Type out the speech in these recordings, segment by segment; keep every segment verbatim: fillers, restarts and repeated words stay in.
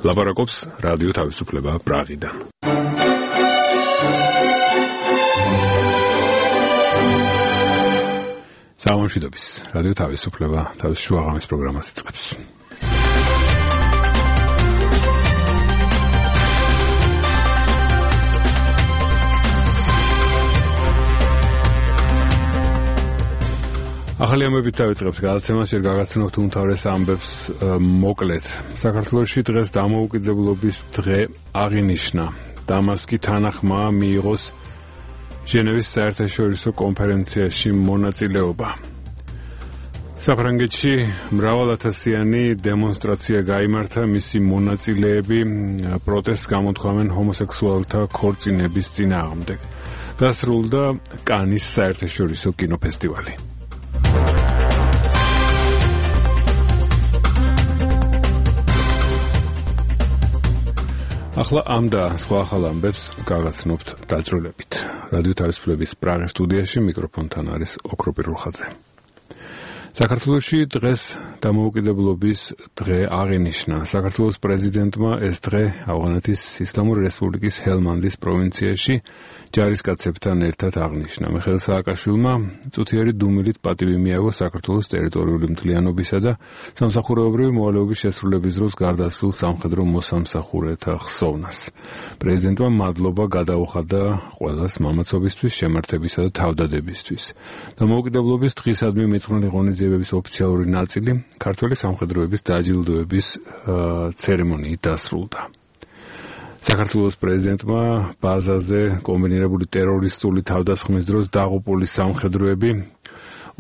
ლაპარაკობს რადიო თავისუფლება პრაღიდან. სამშვიდობის რადიო თავისუფლება თავის შუაღამის პროგრამას იწყებს. ახალი ამბებით დავიწყებთ გადაცემას, ჯერ გაგაცნობთ უმთავრეს ამბებს მოკლედ. საქართველოში დღეს დამოუკიდებლობის დღე აღინიშნა. დამასკი თანახმა მიიღოს ჟენევის საერთაშორისო კონფერენციაში მონაწილეობა. საფრანგეთში მრავალათასიანი დემონსტრაცია გაიმართა, მისი მონაწილეები პროტესტს გამოთქვამენ ჰომოსექსუალთა ქორწინების წინააღმდეგ. დასრულდა კანის საერთაშორისო კინოფესტივალი. ახლა ამ და სხვა ახალ ამბებს გაგაცნობთ დაძრულებით. რადიო თავისუფლების პრაღის სტუდიაში მიკროფონთან არის ოქრო პირულხაძე. საქართველოში დღეს დამოუკიდებლობის დღე აღინიშნა. საქართველოს პრეზიდენტმა ეს დღე ავღანეთის ისლამური რესპუბლიკის ჰელმანდის პროვინციაში ჯარისკაცებთან ერთად აღნიშნა. მიხეილ სააკაშვილმა წუთიერი დუმილით პატივი მიაგო საქართველოს ტერიტორიული მთლიანობისა და სამსახურეობრივი მოვალეობის შესრულების დროს გარდაცვლილ სამხედრო მოსამსახურეთა ხსოვნას. პრეზიდენტმა მადლობა გადაუხადა ყველას მამაცობისთვის, შემართებისა და თავდადებისთვის. დამოუკიდებლობის დღისადმი მიძღვნილი ღონისძიებების ოფიციალური ნაწილი ქართველი სამხედროების დაჯილდოების ცერემონიით დასრულდა. საქართველოს პრეზიდენტმა ბაზაზე კომბინირებული ტერორისტული თავდასხმის დროს დაღუპული სამხედროები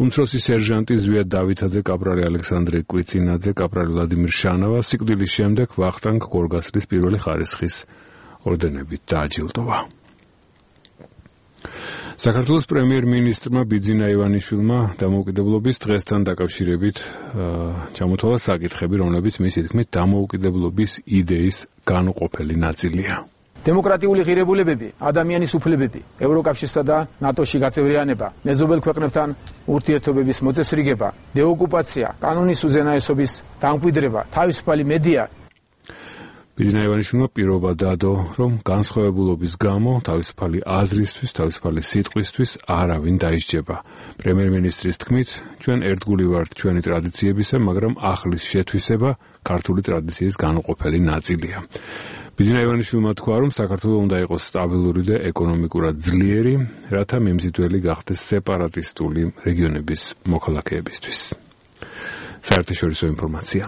უმცროსი სერჟანტი ზვიად დავითაძე, კაპრალი ალექსანდრე კვიცინაძე, კაპრალი ვლადიმირ შანავა სიკვდილის შემდეგ ვახტანგ გორგასლის პირველი ხარისხის ორდენებით დააჯილდოვა. საქართველოს პრემიერ-მინისტრმა ბიძინა ივანიშვილმა დამოუკიდებლობის დღესთან დაკავშირებით ჩამოთვალა საკითხები, რომლებიც მისი თქმით დამოუკიდებლობის იდეის განუყოფელი ნაწილია. დემოკრატიული ღირებულებები, ადამიანის უფლებები, ევროკავშირსა და ნატოში გაწევრიანება, მეზობელ ქვეყნებთან ურთიერთობების მოწესრიგება, დეოკუპაცია, კანონის უზენაესობის დამკვიდრება, თავისუფალი მედია. ბიძინა ივანიშვილმა პირობა დადო, რომ განსხვავებულობის გამო თავისუფალი აზრისთვის, თავისუფალი სიტყვისთვის არავინ დაისჯება. პრემიერ-მინისტრის თქმით, ჩვენ ერთგული ვართ ჩვენი ტრადიციებისა, მაგრამ ახლის შეთვისება ქართული ტრადიციის განუყოფელი ნაწილია. ბიძინა ივანიშვილმა თქვა, რომ საქართველო უნდა იყოს სტაბილური და ეკონომიკურად ძლიერი, რათა მიმზიდველი გახდეს სეპარატისტული რეგიონების მოქალაქეებისთვის. საერთაშორისო ინფორმაცია.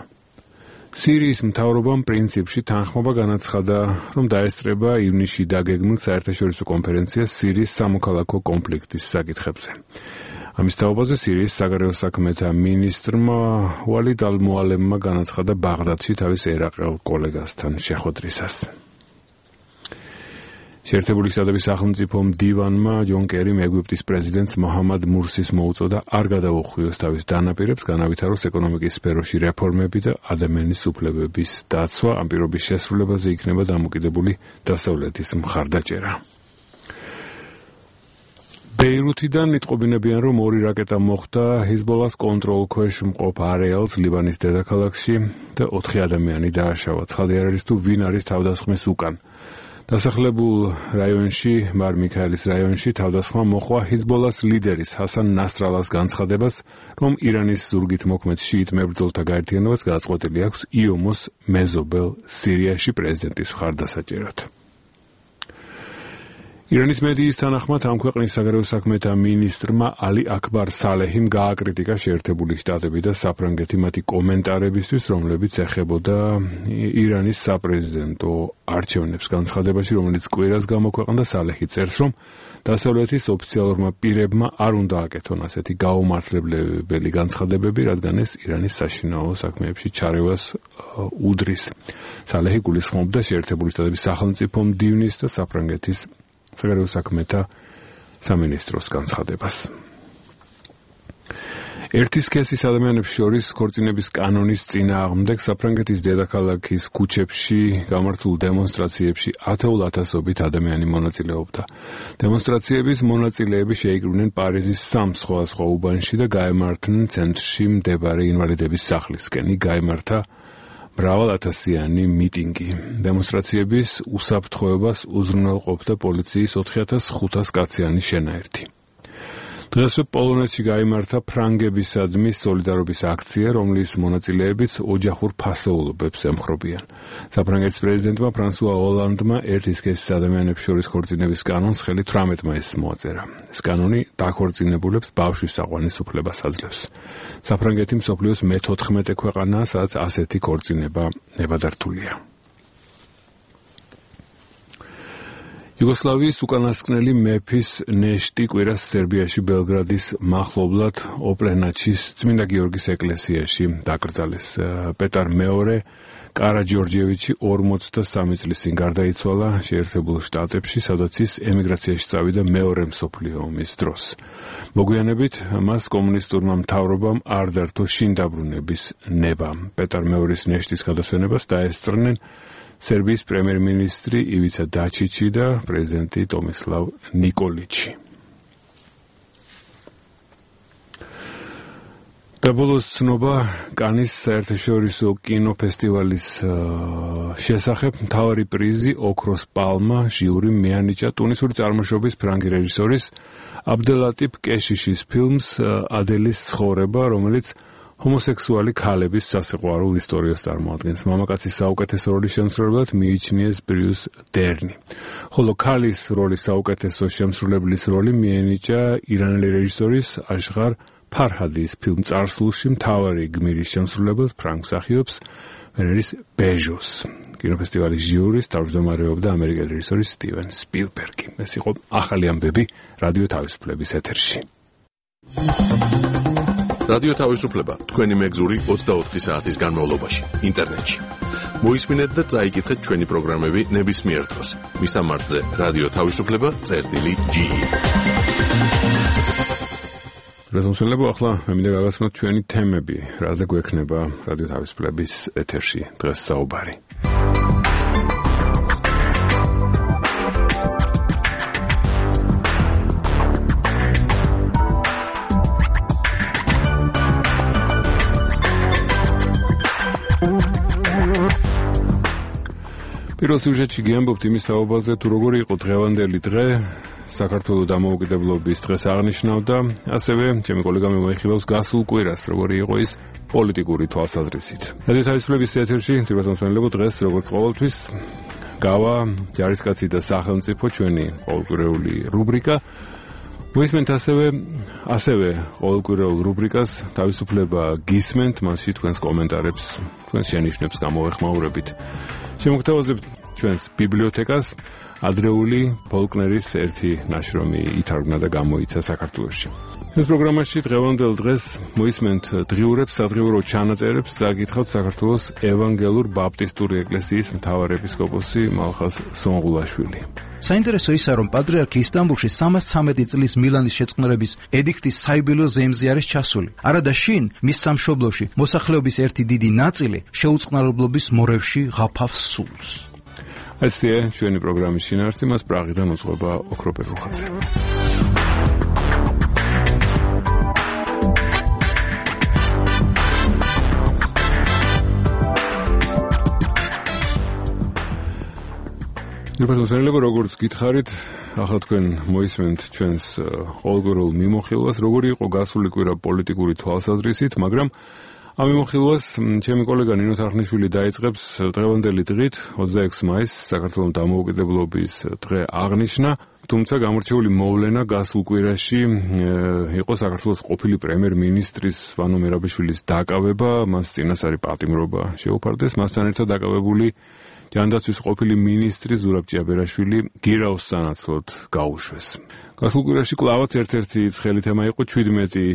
სირიის მთავრობამ პრინციპში თანხმობა განაცხადა, რომ დაესწრება ივნისში დაგეგმილ საერთაშორისო კონფერენციას სირიის სამოქალაქო კონფლიქტის საკითხებზე. ამის თაობაზე სირიის საგარეო საქმეთა მინისტრმა ვალიდ ალ-მუალემმა განაცხადა ბაღდადში თავის ერაყელ კოლეგასთან შეხვედრისას. შეერთებული შტატების სახელმწიფო მდივანმა ჯონ კერიმ ეგვიპტის პრეზიდენტს მოჰამად მურსის მოუწოდა არ გადაუხვიოს თავის დანაპირებს, განავითაროს ეკონომიკის სფეროში რეფორმები და ადამიანის უფლებების დაცვა. ამ პირობის შესრულებაზე იქნება დამოკიდებული დასავლეთის მხარდაჭერა. ბეირუთიდან იტყობინებიან, რომ ორი რაკეტა მოხვდა ჰიზბოლას კონტროლქვეშ მყოფ არეალს ლიბანის დედაქალაქში და ოთხი ადამიანი დააშავა. ცხადი არ არის თუ ვინ არის თავდასხმის უკან. დასახლებულ რაიონში, მარ მიქაელის რაიონში თავდასხმა მოხვა ჰიზბოლას ლიდერის ჰასან ნასრალას განცხადებას, რომ ირანის ზურგით მოქმედ შიიტ მებრძოლთა გაერთიანებას გადაწყვეტილი აქვს იომოს მეზობელ სირიაში პრეზიდენტის მხარდასაჭერად. ირანის მედიის თანახმად ამ ქვეყნის საგარეო საქმეთა მინისტრმა ალი აკბარ სალეჰიმ გააკრიტიკა შეერთებული შტატები და საფრანგეთი მათი კომენტარებისთვის, რომლებიც ეხებოდა ირანის საპრეზიდენტო არჩევნებს. განცხადებაში, რომელიც კვირას გამოქვეყნდა, სალეჰი წერს, რომ დასავლეთის ოფიციალურმა პირებმა არ უნდა აკეთონ ასეთი გაუმართლებელი განცხადებები, რადგან ეს ირანის საშინაო საქმეებში ჩარევას უდრის. სალეჰი გულისხმობდა შეერთებული შტატების სახელმწიფო მდივნის და საფრანგეთის საგარეო საქმეთა სამინისტროს განცხადებას. ერთი სქესის ადამიანებს შორის ქორწინების კანონის წინააღმდეგ საფრანგეთის დედაქალაქის ქუჩებში გამართულ დემონსტრაციებში ათეულ ათასობით ადამიანი მონაწილეობდა. დემონსტრაციების მონაწილეები შეიკრიბნენ პარიზის სამ სხვადასხვა უბანში და გაემართნენ ცენტრში მდებარე ინვალიდების სახლისკენ. გაემართა მრავალათასიანი მიტინგი. დემონსტრაციების უსაფრთხოებას უზრუნველყოფდა პოლიციის ოთხი ათას ხუთას კაციანი შენაერთი. დღესვე პოლონეთში გაიმართა ფრანგებისადმი სოლიდარობის აქცია, რომლის მონაწილეებიც ოჯახურ ფასეულობებს ემხრობიან. საფრანგეთის პრეზიდენტმა ფრანსუა ოლანდმა ერთი სქესის ადამიანებს შორის ქორწინების კანონს ხელი თვრამეტ მაისს მოაწერა. ეს კანონი დაქორწინებულებს ბავშვის საყვანის უფლებას აძლევს. საფრანგეთი მსოფლიოს მეთოთხმეტე ქვეყანაა, სადაც ასეთი ქორწინება ნებადართულია. იუგოსლავიის უკანასკნელი მეფის ნეშტი კვირას სერბიაში ბელგრადის მახლობლად ოპლენაჩის წმინდა გიორგის ეკლესიაში დაკრძალეს. პეტარ მეორე კარაჯორჯევიჩი ორმოცდასამი წლის წინ გარდაიცვალა შეერთებულ შტატებში, სადაც ის ემიგრაციაში წავიდა მეორე მსოფლიო ომის დროს. მოგვიანებით მას კომუნისტურმა მთავრობამ არ დართო შინდაბრუნების ნება. პეტარ მეორის ნეშტის გადასვენებას დაესწრნენ სერბიის პრემიერ-მინისტრი ივიცა დაჩიჩი და პრეზიდენტი ტომისლავ ნიკოლიჩი. დაბოლოს ცნობა კანის საერთაშორისო კინოფესტივალის შესახებ. მთავარი პრიზი ოქროს პალმა ჟიური მეანიჭა ტუნისური წარმოშობის ფრანგი რეჟისორის აბდელატიფ კეშიშის ფილმს ადელის ცხოვრება, რომელიც ჰომოსექსუალი ქალების სასიყვარულო ისტორიას წარმოადგენს. მამაკაცის საუკეთესო როლის შემსრულებლად მიიჩნიეს ბრიუს დერნი, ხოლო ქალის როლის საუკეთესო შემსრულებლის როლი მიენიჭა ირანელი რეჟისორის აშღარ ფარჰადის ფილმ წარსულში მთავარი გმირის შემსრულებლად ფრანგ მსახიობს ვენერის ბეჟოს. კინოფესტივალის ჟიურის თავმჯდომარეობდა ამერიკელი რეჟისორი სტივენ სპილბერგი. ეს იყო ახალი ამბები რადიო თავისუფლების ეთერში. რადიო თავისუფლება თქვენი მეგზური ოცდაოთხი საათის განმავლობაში ინტერნეტში. მოისმინეთ და წაიკითხეთ ჩვენი პროგრამები ნებისმიერ დროს. მისამართზე რადიო თავისუფლება წერტილი ჯი. რეზოლუციები ახლა მე მინდა გავაცნოთ ჩვენი თემები, რაზე გვექნება რადიო თავისუფლების ეთერში დღეს საუბარი. პირველ სიუჟეტში გიამბობთ იმის თაობაზე, თუ როგორი იყო დღევანდელი დღე, საქართველოს დამოუკიდებლობის დღეს აღნიშნავდა, ასევე ჩემი კოლეგა მოიხილავს გასულ კვირას, როგორი იყო ის პოლიტიკური თვალსაზრისით. რადიო თავისუფლების ეთერში ცირვასამსვენელებო დღეს, როგორც ყოველთვის, გავა ჯარისკაცი და სახელმწიფო ჩვენი ყოველკვირეული რუბრიკა. მოისმენთ ასევე ასევე ყოველკვირეულ რუბრიკას თავისუფლება გისმენთ, მასში თქვენს კომენტარებს, თქვენს შენიშვნებს გამოვეხმაურებით. შემოგთავაზებთ ჩვენს ბიბლიოთეკას. ადრეული ფოლკნერის ერთი ნაშრომი ითარგმნა და გამოიცა საქართველოში. ეს პროგრამაში დღევანდელ დღეს მოისმენთ დღიურებს, სადღიურო ჩანაწერებს, წაგითხავთ საქართველოს ევანგელურ ბაპტისტური ეკლესიის მთავარეპისკოპოსი მალხაზ სონღულაშვილი. საინტერესო ისაა, რომ პატრიარქი ისტანბულში სამას ცამეტი წლის მილანის შეწყნარების ედიქტის საიუბილეო ზეიმზე არის ჩასული. არადა შინ მის სამშობლოში მოსახლეობის ერთი დიდი ნაწილი შეუწყნარებლობის მორევში ღაფავს სულს. ესეა ჩვენი პროგრამის შინაარსი, მას პრაღიდან უძღვება ოქროპერ რუხაძე. ნებადმოსმენელებო, როგორც გითხარით, ახლა თქვენ მოისმენთ ჩვენს ყოველკვირეულ მიმოხილვას, როგორი იყო გასული კვირა პოლიტიკური თვალსაზრისით, მაგრამ ამ მიმოხილვას ჩემი კოლეგა ნინო თარხნიშვილი დაიწყებს დღევანდელი დღით, ოცდაექვსი მაისს, საქართველოს დამოუკიდებლობის დღე აღნიშნა, თუმცა გამორჩეული მოვლენა გასულ კვირაში იყო საქართველოს ყოფილი პრემიერ-მინისტრის ვანო მერაბიშვილის დაკავება, მას წინასწარი პატიმრობა შეუფარდეს, მასთან ერთად დაკავებული ჯანდაცვის ყოფილი მინისტრი ზურაბ ჭიაბერაშვილი გირაოს სანაცვლოდ გაუშვეს. გასულ კვირაში კლავაც ერთ-ერთი ცხელი თემა იყო ჩვიდმეტი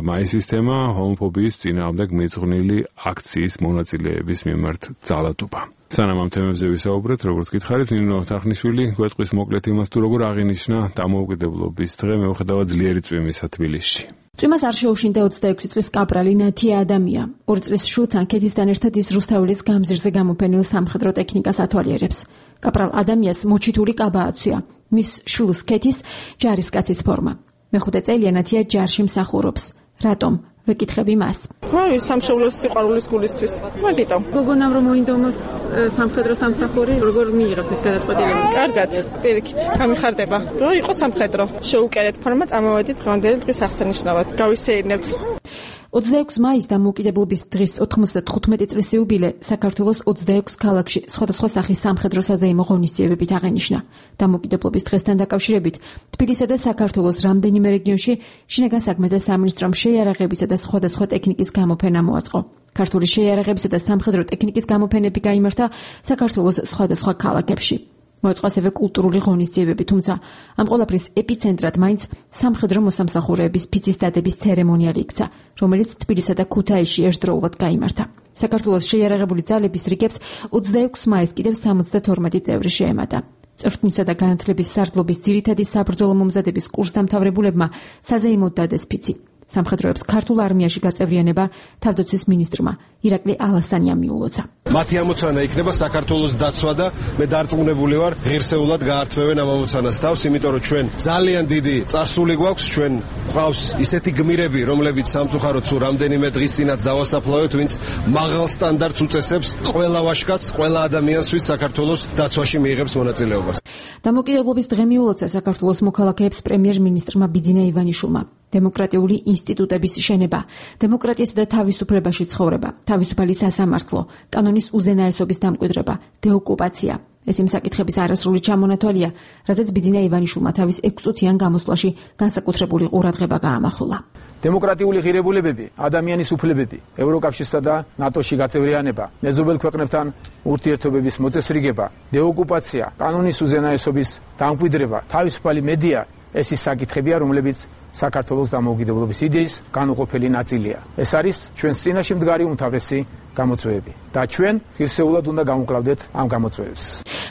მაისის თემა, ჰომოფობიის წინააღმდეგ მიძღვნილი აქციის მონაწილეების მიმართ ძალადობა. სანამ ამ თემებზე ვისაუბრეთ, როგორც გითხარით, ნინო თარხნიშვილი გვეტყვის მოკლედ იმას, თუ როგორ აღინიშნა დამოუკიდებლობის დღე მიუხედავად ძლიერი წვიმისა თბილისში. წვიმას არ შეუშინდა ოცდაექვსი წლის კაპრალი ნათია ადამია. ორი წლის შვილთან ქეთისთან ერთად ის რუსთაველის გამზირზე გამოფენილ სამხედრო ტექნიკას ათვალიერებს. კაპრალ ადამიანს მოჩითური კაბა აცვია. მის შვილს ქეთის ჯარისკაცის ფორმა. მეხუთე წელია ნათია ჯარში მსახურობს. რატომ? ვეკითხები მას. აი, სამშობლოს სიყვარულის გულისთვის. მაგიტომ. გოგონამ რომ მოინდომოს სამხედრო სამსახური, როგორ მიიღებთ ეს გადაწყვეტილება? კარგად, პირიქით, გამიხარდება. რომ იყოს სამხედრო. შეუკერეთ ფორმა წამოვედით დღევანდელი დღის აღსანიშნავად. გავისეირნებთ. ოცდაექვსი მაისს დამოუკიდებლობის დღის ოთხმოცდათხუთმეტი წლის იუბილე საქართველოს ოცდაექვსი ქალაქში სხვადასხვა სახის სამხედრო საზეიმო ღონისძიებებით აღენიშნა. დამოუკიდებლობის დღესთან დაკავშირებით თბილისსა და საქართველოს რამდენიმე რეგიონში შინაგან საქმეთა სამინისტრომ შეიარაღებისა და სხვადასხვა ტექნიკის გამოფენა მოაწყო. ქართული შეიარაღებისა და სამხედრო ტექნიკის გამოფენები გაიმართა საქართველოს სხვადასხვა ქალაქებში. მოაწყო ასევე კულტურული ღონისძიებები, თუმცა ამ ყველაფრის ეპიცენტრად მაინც სამხედრო მოსამსახურეების ფიცის დადების ცერემონიალი იქცა, რომელიც თბილისსა და ქუთაისში ერთდროულად გაიმართა. საქართველოს შეიარაღებული ძალების რიგებს ოცდაექვსი მაისს კიდევ სამოცდათორმეტი წევრი შეემატა. წვრთნისა და განათლების სარდლობის ძირითადი საბრძოლო მომზადების კურსდამთავრებულებმა საზეიმოდ დადეს ფიცი. სამხედროებს ქართულ არმიაში გაწევრიანება თავდაცვის მინისტრმა ირაკლი ალასანიამ მიულოცა. მათი ამოცანა იქნება საქართველოს დაცვა და მე დარწმუნებული ვარ ღირსეულად გაართმევენ ამ ამოცანას თავს, იმიტომ რომ ჩვენ ძალიან დიდი წარსული გვაქვს, ჩვენ გვყავს ისეთი გმირები, რომლებიც სამწუხაროდ სულ რამდენიმე დღის წინაც დავასაფლავეთ, ვინც მაღალ სტანდარტს უწესებს ყველა ვაჟკაცს, ყველა ადამიანს, ვინც საქართველოს დაცვაში მიიღებს მონაწილეობას. დამოუკიდებლობის დღე მიულოცა საქართველოს მოქალაქეებს პრემიერ-მინისტრმა ბიძინა ივანიშვილმა. დემოკრატიული ინსტიტუტების შენება, დემოკრატიასა და თავისუფლებაში ცხოვრება, თავისუფალი სასამართლო, კანონის უზენაესობის დამკვიდრება, დეოკუპაცია. ეს იმ საკითხების არასრული ჩამონათვალია, რაზეც ბიძინა ივანიშვილმა თავის ექვსწუთიან გამოსვლაში განსაკუთრებული ყურადღება გაამახვილა. დემოკრატიული ღირებულებები, ადამიანის უფლებები, ევროკავშირსა და ნატოში გაწევრიანება, მეზობელ ქვეყნებთან ურთიერთობების მოწესრიგება, დეოკუპაცია, კანონის უზენაესობის დამკვიდრება, თავისუფალი მედია, ეს ის საკითხებია, რომლებიც საქართველოს დამოუკიდებლობის იდეის განუყოფელი ნაწილია. ეს არის ჩვენს წინაშე მდგარი უმთავრესი გამოწვევები და ჩვენ ღირსეულად უნდა გამოვკლავდეთ ამ გამოწვევებს.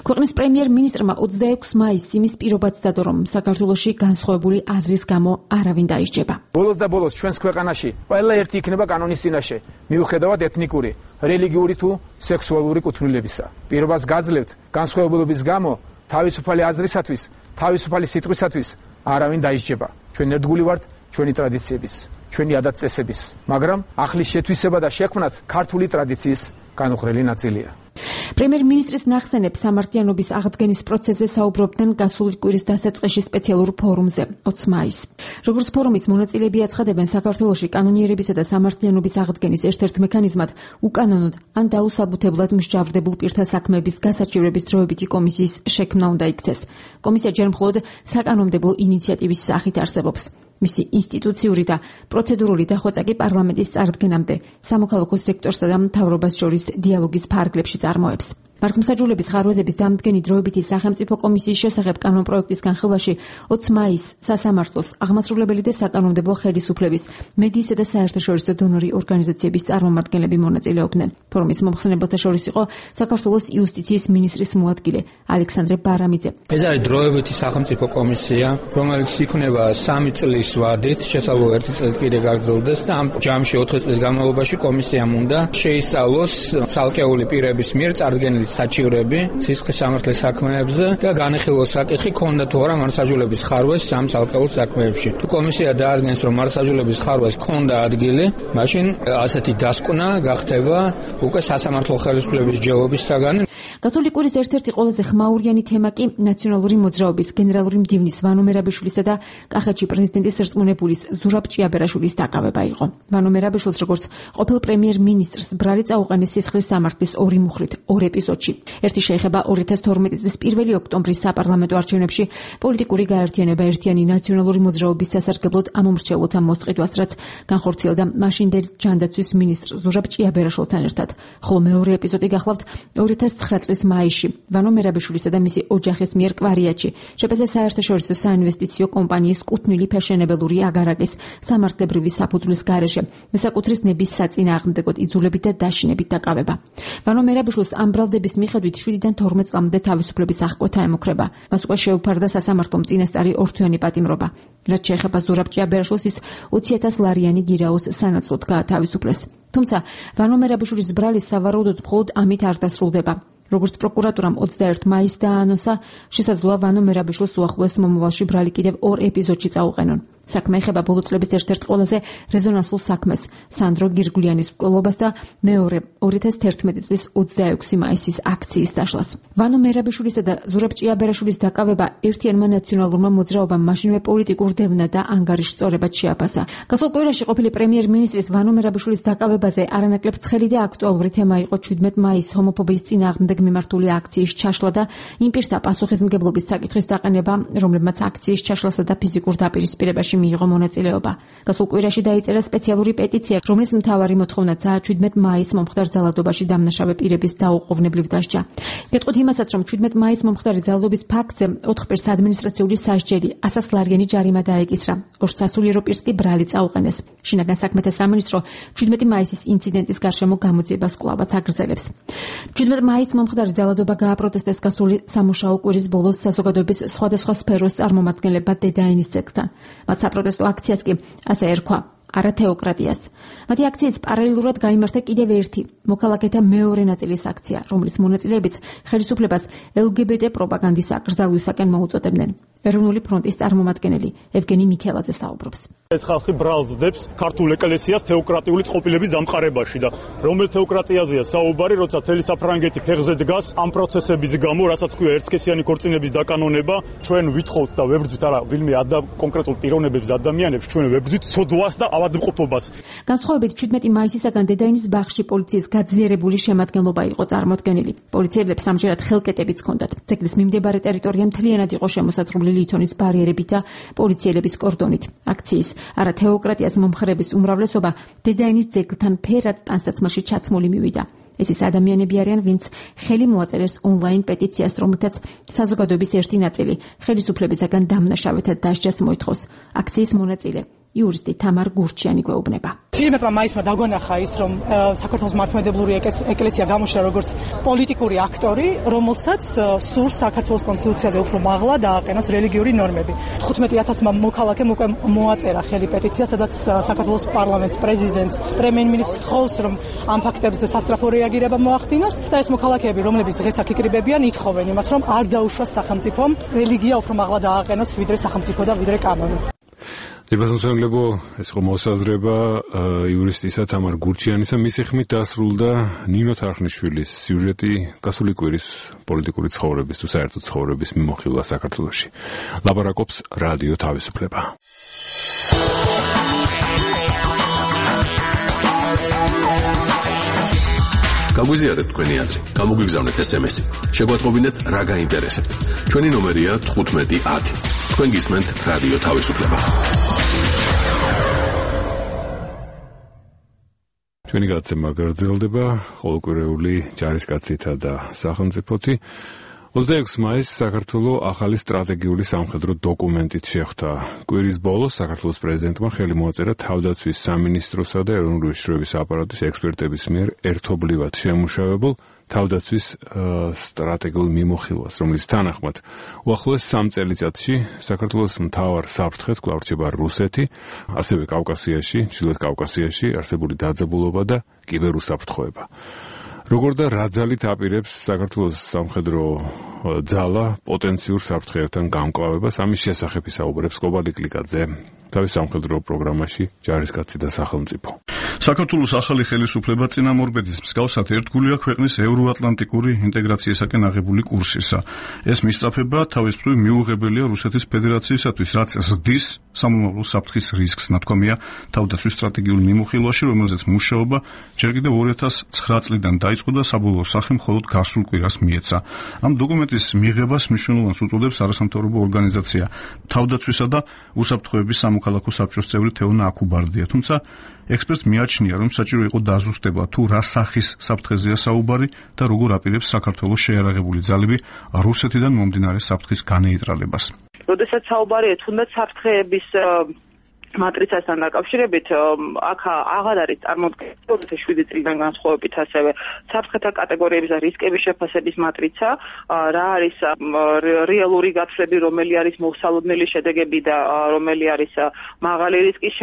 ქვეყნის პრემიერ-მინისტრმა ოცდაექვსი მაისს იმის პირობაც დადო, რომ საქართველოში განსხვავებული აზრის გამო არავინ დაისჯება. ბოლოს და ბოლოს ჩვენს ქვეყანაში ყველა ერთი იქნება კანონის წინაშე, მიუხედავად ეთნიკური, რელიგიური თუ სექსუალური კუთვნილებისა. პირობას გაძლევთ განსხვავებულობის გამო თავისუფალი აზრისათვის, თავისუფალი სიტყვისათვის არავინ დაისჯება. ჩვენ ერთგული ვართ ჩვენი ტრადიციების, ჩვენი ადათ-წესების, მაგრამ ახლის შეთვისება და შექმნაც ქართული ტრადიციის განუხრელი ნაწილია. პრემიერ-მინისტრის ნახსენებს სამართლიანობის აღდგენის პროცესზე საუბრობდნენ გასული კვირის დასაწყისში სპეციალურ ფორუმზე ოცი მაისს. როგორც ფორუმის მონაწილეები აცხადებენ, საქართველოში კანონიერებისა და სამართლიანობის აღდგენის ერთ-ერთ მექანიზმად უკანონოდ ან დაუსაბუთებლად მსჯავრდებულ პირთა საქმეების გასაჩივრების დროებითი კომისიის შექმნა უნდა იქცეს. კომისია ჯერ მხოლოდ საკანონმდებლო ინიციატივის სახით არსებობს. მისი ინსტიტუციური და პროცედურული დახვეწა კი პარლამენტის წარდგენამდე სამოქალაქო სექტორსა და მთავრობას შორის დიალოგის ფარგლებში წარმოებს. მართლმსაჯულების ხარვეზების დამდგენი დროებითი სახელმწიფო კომისიის შესახებ კანონპროექტის განხილვაში ოცი მაისს სასამართლოს, აღმასრულებელი და საკანონმდებლო ხელისუფლების, მედიისა და საერთაშორისო დონორი ორგანიზაციების წარმომადგენლები მონაწილეობდნენ. ფორუმის მომხსენებელთა შორის იყო საქართველოს იუსტიციის მინისტრის მოადგილე ალექსანდრე ბარამიძე. ეს არის დროებითი სახელმწიფო კომისია, რომელიც იქნება სამი წლის ვადით, შესაძლოა ერთი წელი კიდე გაგრძელდეს და ამ ჯამში ოთხი წლის განმავლობაში კომისიამ უნდა შეისწავლოს ცალკეული პირების მიერ წარდგენილი საჩივრები სისხლის სამართლის საქმეებზე და განეხილოს საკითხი ქონდა თუ არა მართლმსაჯულების ხარვეს ამ ცალკეულ საქმეებში. თუ კომისია დაადგენს, რომ მართლმსაჯულების ხარვეს ქონდა ადგილი, მაშინ ასეთი დასკვნა გახდება უკვე სასამართლო ხელისუფლების ჯელობის საგანი. გასული კვირის ერთ-ერთი ყველაზე ხმაურიანი თემა კი ნაციონალური მოძრაობის გენერალური მდივნის ვანო მერაბიშვილისა და კახეთში პრეზიდენტის რწმუნებულის ზურაბ ჭიაბერაშვილის დაკავება იყო. ვანო მერაბიშვილს როგორც ყოფილ პრემიერ-მინისტრს ბრალი წაუყენეს სისხლის სამართლის ორი მუხრით, ორ ეპიზოდში. ერთი შეეხება ორი ათას თორმეტი წლის პირველი ოქტომბრის საპარლამენტო არჩევნებში პოლიტიკური გაერთიანება ერთიანი ნაციონალური მოძრაობის სასარგებლოდ ამომრჩევლთა მოსყიდვას, რაც განხორციელდა მაშინდელი ჯანდაცვის მინისტრ ზურაბ ჭიაბერაშვილთან ერთად. ხოლო მეორე ეპიზოდი გახლავთ ორი ათას ცხრა წლის მაისში ვანო მერაბიშვილისა და მისი ოჯახის მიერ კვარიატში შეპეზე საერთაშორისო საინვესტიციო კომპანიის კუთვნილი ფაშენებელური აგარაკის სამართლებრივი საფუძვლის გარეშე მესაკუთრის ნების საწინააღმდეგოდ იძულებით და დაშინებით დაკავება. ვანო მერაბიშვილს ამ ბრალდების მიხედვით შვიდიდან თორმეტ წლამდე თავისუფლების აღკვეთა ემუქრება. მას უკვე შეუფარდა სასამართლომ წინასწარი ორთვიანი პატიმრობა. რაც შეეხება ზურაბ ჭიაბერაშვილს, ის ოცი ათას ლარიანი გირაოს სანაცვლოდ გაათავისუფლეს. თუმცა ვანო მერაბიშვილის ბრალი სავარაუდოდ მხოლოდ ამით არ დასრულდება. როგორც პროკურატურამ ოცდაერთი მაისს დაანონსა, შესაძლოა ვანო მერაბიშვილს უახლოეს მომავალში ბრალი კიდევ ორ ეპიზოდში წაუყენონ. საქმე ეხება ბოლო წლების ერთ-ერთ ყველაზე რეზონანსულ საქმეს, სანდრო გირგულიანის მკვლელობას და მეორე ორი ათას თერთმეტი წლის ოცდაექვსი მაისის აქციის დაშლას. ვანო მერაბიშვილისა და ზურაბ ჭიაბერაშვილის დაკავება ერთიანმა ნაციონალურმა მოძრაობამ მაშინვე პოლიტიკურ დევნა და ანგარიშ სწორებად შეაფასა. გასულ კვირაში ყოფილი პრემიერ-მინისტრის ვანო მერაბიშვილის დაკავებაზე არანაკლებ ცხელი და აქტუალური თემა იყო შვიდმეტი მაისის ჰომოფობიის წინააღმდეგ მიმართული აქციის ჩაშლა და იმ პირთა პასუხისმგებლობის საკითხის დაყენება, რომლებმაც აქციის ჩაშლასა და ფიზიკურ დაპირისპირებაში მიიღო მონაწილეობა. გასულ კვირაში დაიწერა სპეციალური პეტიცია, რომლის მთავარი მოთხოვნაცაა შვიდმეტი მაისის მომხდარ ძალადობაში დამნაშავე პირების დაუყოვნებლივ დასჯა. გეტყვით იმასაც, რომ შვიდმეტი მაისის მომხდარი ძალადობის ფაქტზე ოთხ პირს ადმინისტრაციული სასჯელი ასასლარიანი ჯარიმა დაეკისრა. ორ სასულიერო პირს კი ბრალი წაუყენეს. შინაგან საქმეთა სამინისტრო შვიდმეტი მაისის ინციდენტის გარშემო გამოძიებას კვლავაც აგრძელებს. შვიდმეტი მაისის მომხდარი ძალადობა გააპროტესტეს გასული სამუშაო კვირის ბოლოს საზოგადოების სხვადასხვა სფეროს წარმომადგენლებმა დედაენის ძეგლთან. მათ საპროტესტო აქციას კი ასე ერქვა: არა თეოკრატიას. მათი აქციის პარალელურად გაიმართა კიდევ ერთი მოქალაქეთა მეორე ნაწილის აქცია, რომლის მონაწილეებიც ხელისუფლებას ელ გი ბი ტე პროპაგანდის აკრძალვისაკენ მოუწოდებდნენ. ეროვნული ფრონტის წარმომადგენელი ევგენი მიქელაძე საუბრობს. ეს ხალხი ბრალზდებს ქართულ ეკლესიას თეოკრატიული წყობილების დამყარებაში და რომელ თეოკრატიაზეა საუბარი, როცა თელი საფრანგეთი ფეხზე დგას ამ პროცესების გამო, რასაც ქვია ერთსქესიანი ქორწინების დაკანონება, ჩვენ ვითხოვთ და ვებრძვით არა ვინმე ადა კონკრეტულ პიროვნებებს ადამიანებს, ჩვენ ვებრძვით სოდვას და ავადმყოფობას. განსხვავებით შვიდმეტი მაისისაგან დედაენის ბაღში პოლიციის გაძლიერებული შემადგენლობა იყო წარმოდგენილი. პოლიციელებს ამჯერად ხელკეტებიც ჰქონდათ. ძეგლის მიმდებარე ტერიტორია მთლიანად იყო შემოსაზღვრული ლითონის ბარიერებით და პოლიციელების კორდონით. აქციის არა თეოკრატიას მომხრების უმრავლესობა დედაენის ძეგლთან ფერად ტანსაცმელში ჩაცმული მივიდა. ეს ის ადამიანები არიან, ვინც ხელი მოაწერეს ონლაინ პეტიციას, რომელთაც საზოგადოების ერთი ნაწილი ხელისუფლებისაგან დამნაშავეთა დასჯას მოითხოვს. აქციის მონაწილე იურისტი თამარ გურჩიანი გვეუბნება. შვიდმეტმა მაისმა დაგვანახა ის, რომ საქართველოს მართლმადიდებლური ეკლესია გამოჩნდა როგორც პოლიტიკური აქტორი, რომელსაც სურს საქართველოს კონსტიტუციაზე უფრო მაღლა დააყენოს რელიგიური ნორმები. თხუთმეტი ათასმა მოქალაქემ უკვე მოაწერა ხელი პეტიცია, სადაც საქართველოს პარლამენტს, პრეზიდენტს, პრემიერ-მინისტრს თხოვს, რომ ამ ფაქტებზე სასწრაფო რეაგირება მოახდინოს და ეს მოქალაქეები, რომლებიც დღეს აქ იკრიბებიან, ითხოვენ იმას, რომ არ დაუშვას სახელმწიფომ რელიგია უფრო მაღლა დააყენოს ვიდრე სახელმწიფო და ვიდრე კანონი. დიპლომატიებო ეს იყო მოსაზრება იურისტისა თამარ გურჩიანისა, მისი ხმით დასრულდა ნინო თარხნიშვილის სიუჟეტი გასული კვირის პოლიტიკური ცხოვრების თუ საერთო ცხოვრების მიმოხილვა საქართველოში. ლაპარაკობს რადიო თავისუფლება. გაგვიზიარეთ თქვენი აზრი, გამოგვიგზავნეთ ეს ემ ესი, შეგვატყობინეთ რა გაინტერესებთ. ჩვენი ნომერია თხუთმეტი ათი. თქვენ გისმენთ რადიო თავისუფლება. ჩვენი გადაცემა გაგრძელდება ყოველკვირეული ჯარისკაცითა და სახელმწიფოთი. ოცდაექვსი მაისს საქართველოს ახალი სტრატეგიული სამხედრო დოკუმენტით შეხვდა. კვირის ბოლოს საქართველოს პრეზიდენტმა ხელი მოაწერა თავდაცვის სამინისტროსა და ეროვნული უშიშროების აპარატის ექსპერტების მიერ ერთობლივად შემუშავებულ თავდაცვის სტრატეგიულ მიმოხილვას, რომლის თანახმად უახლოეს სამ წელიწადში საქართველოს მთავარ საფრთხედ კვლავ რჩება რუსეთი, ასევე კავკასიაში, ჩრდილოეთ კავკასიაში არსებული დაძაბულობა და კიბერუსაფრთხოება. როგორ და რა ძალით აპირებს საქართველოს სამხედრო ძალა პოტენციურ საფრთხეებთან გამკლავებას, ამის შესახებ ისაუბრებს კობალი კლიკაძე თავის სამხედრო პროგრამაში ჯარისკაცი და სახელმწიფო. საქართველოს ახალი ხელისუფლება წინამორბედის მსგავსად ერთგულია ქვეყნის ევროატლანტიკური ინტეგრაციისაკენ აღებული კურსისა. ეს მისწრაფება თავის მხრივ მიუღებელია რუსეთის ფედერაციისათვის, რაც ზრდის სამომავლო საფრთხის რისკს, ნათქვამია თავდაცვის სტრატეგიულ მიმოხილვაში, რომელზეც მუშაობა ჯერ კიდევ ორი ათას ცხრა წლიდან დაიწყო და საბოლოო სახე მხოლოდ გასულ კვირას მიეცა. ამ დოკუმენტის მიღებას მნიშვნელოვანს უწოდებს არასამთავრობო ორგანიზაცია თავდაცვისა და უსაფრთხოების სამოქალაქო საბჭოს წევრი თეონა აკუბარდია, თუმცა ექსპერტს მიაჩნია, რომ საჭირო იყო დაზუსტება თუ რა სახის საფრთხეზეა საუბარი და როგორ აპირებს საქართველოს შეიარაღებული ძალები რუსეთიდან მომდინარე საფრთხის განეიტრალებას. როდესაც საუბარია თუნდაც საფრთხეების მატრიცასთან დაკავშირებით, აქ აღარ არის წარმოდგენილი ორი ათას შვიდი წლიდან განსხვავებით ასევე საფრთხეთა კატეგორიების და რისკების შეფასების მატრიცა, რა არის რეალური გათვლები, რომელი არის მოსალოდნელი შედეგები და რომელი არის მაღალი რისკის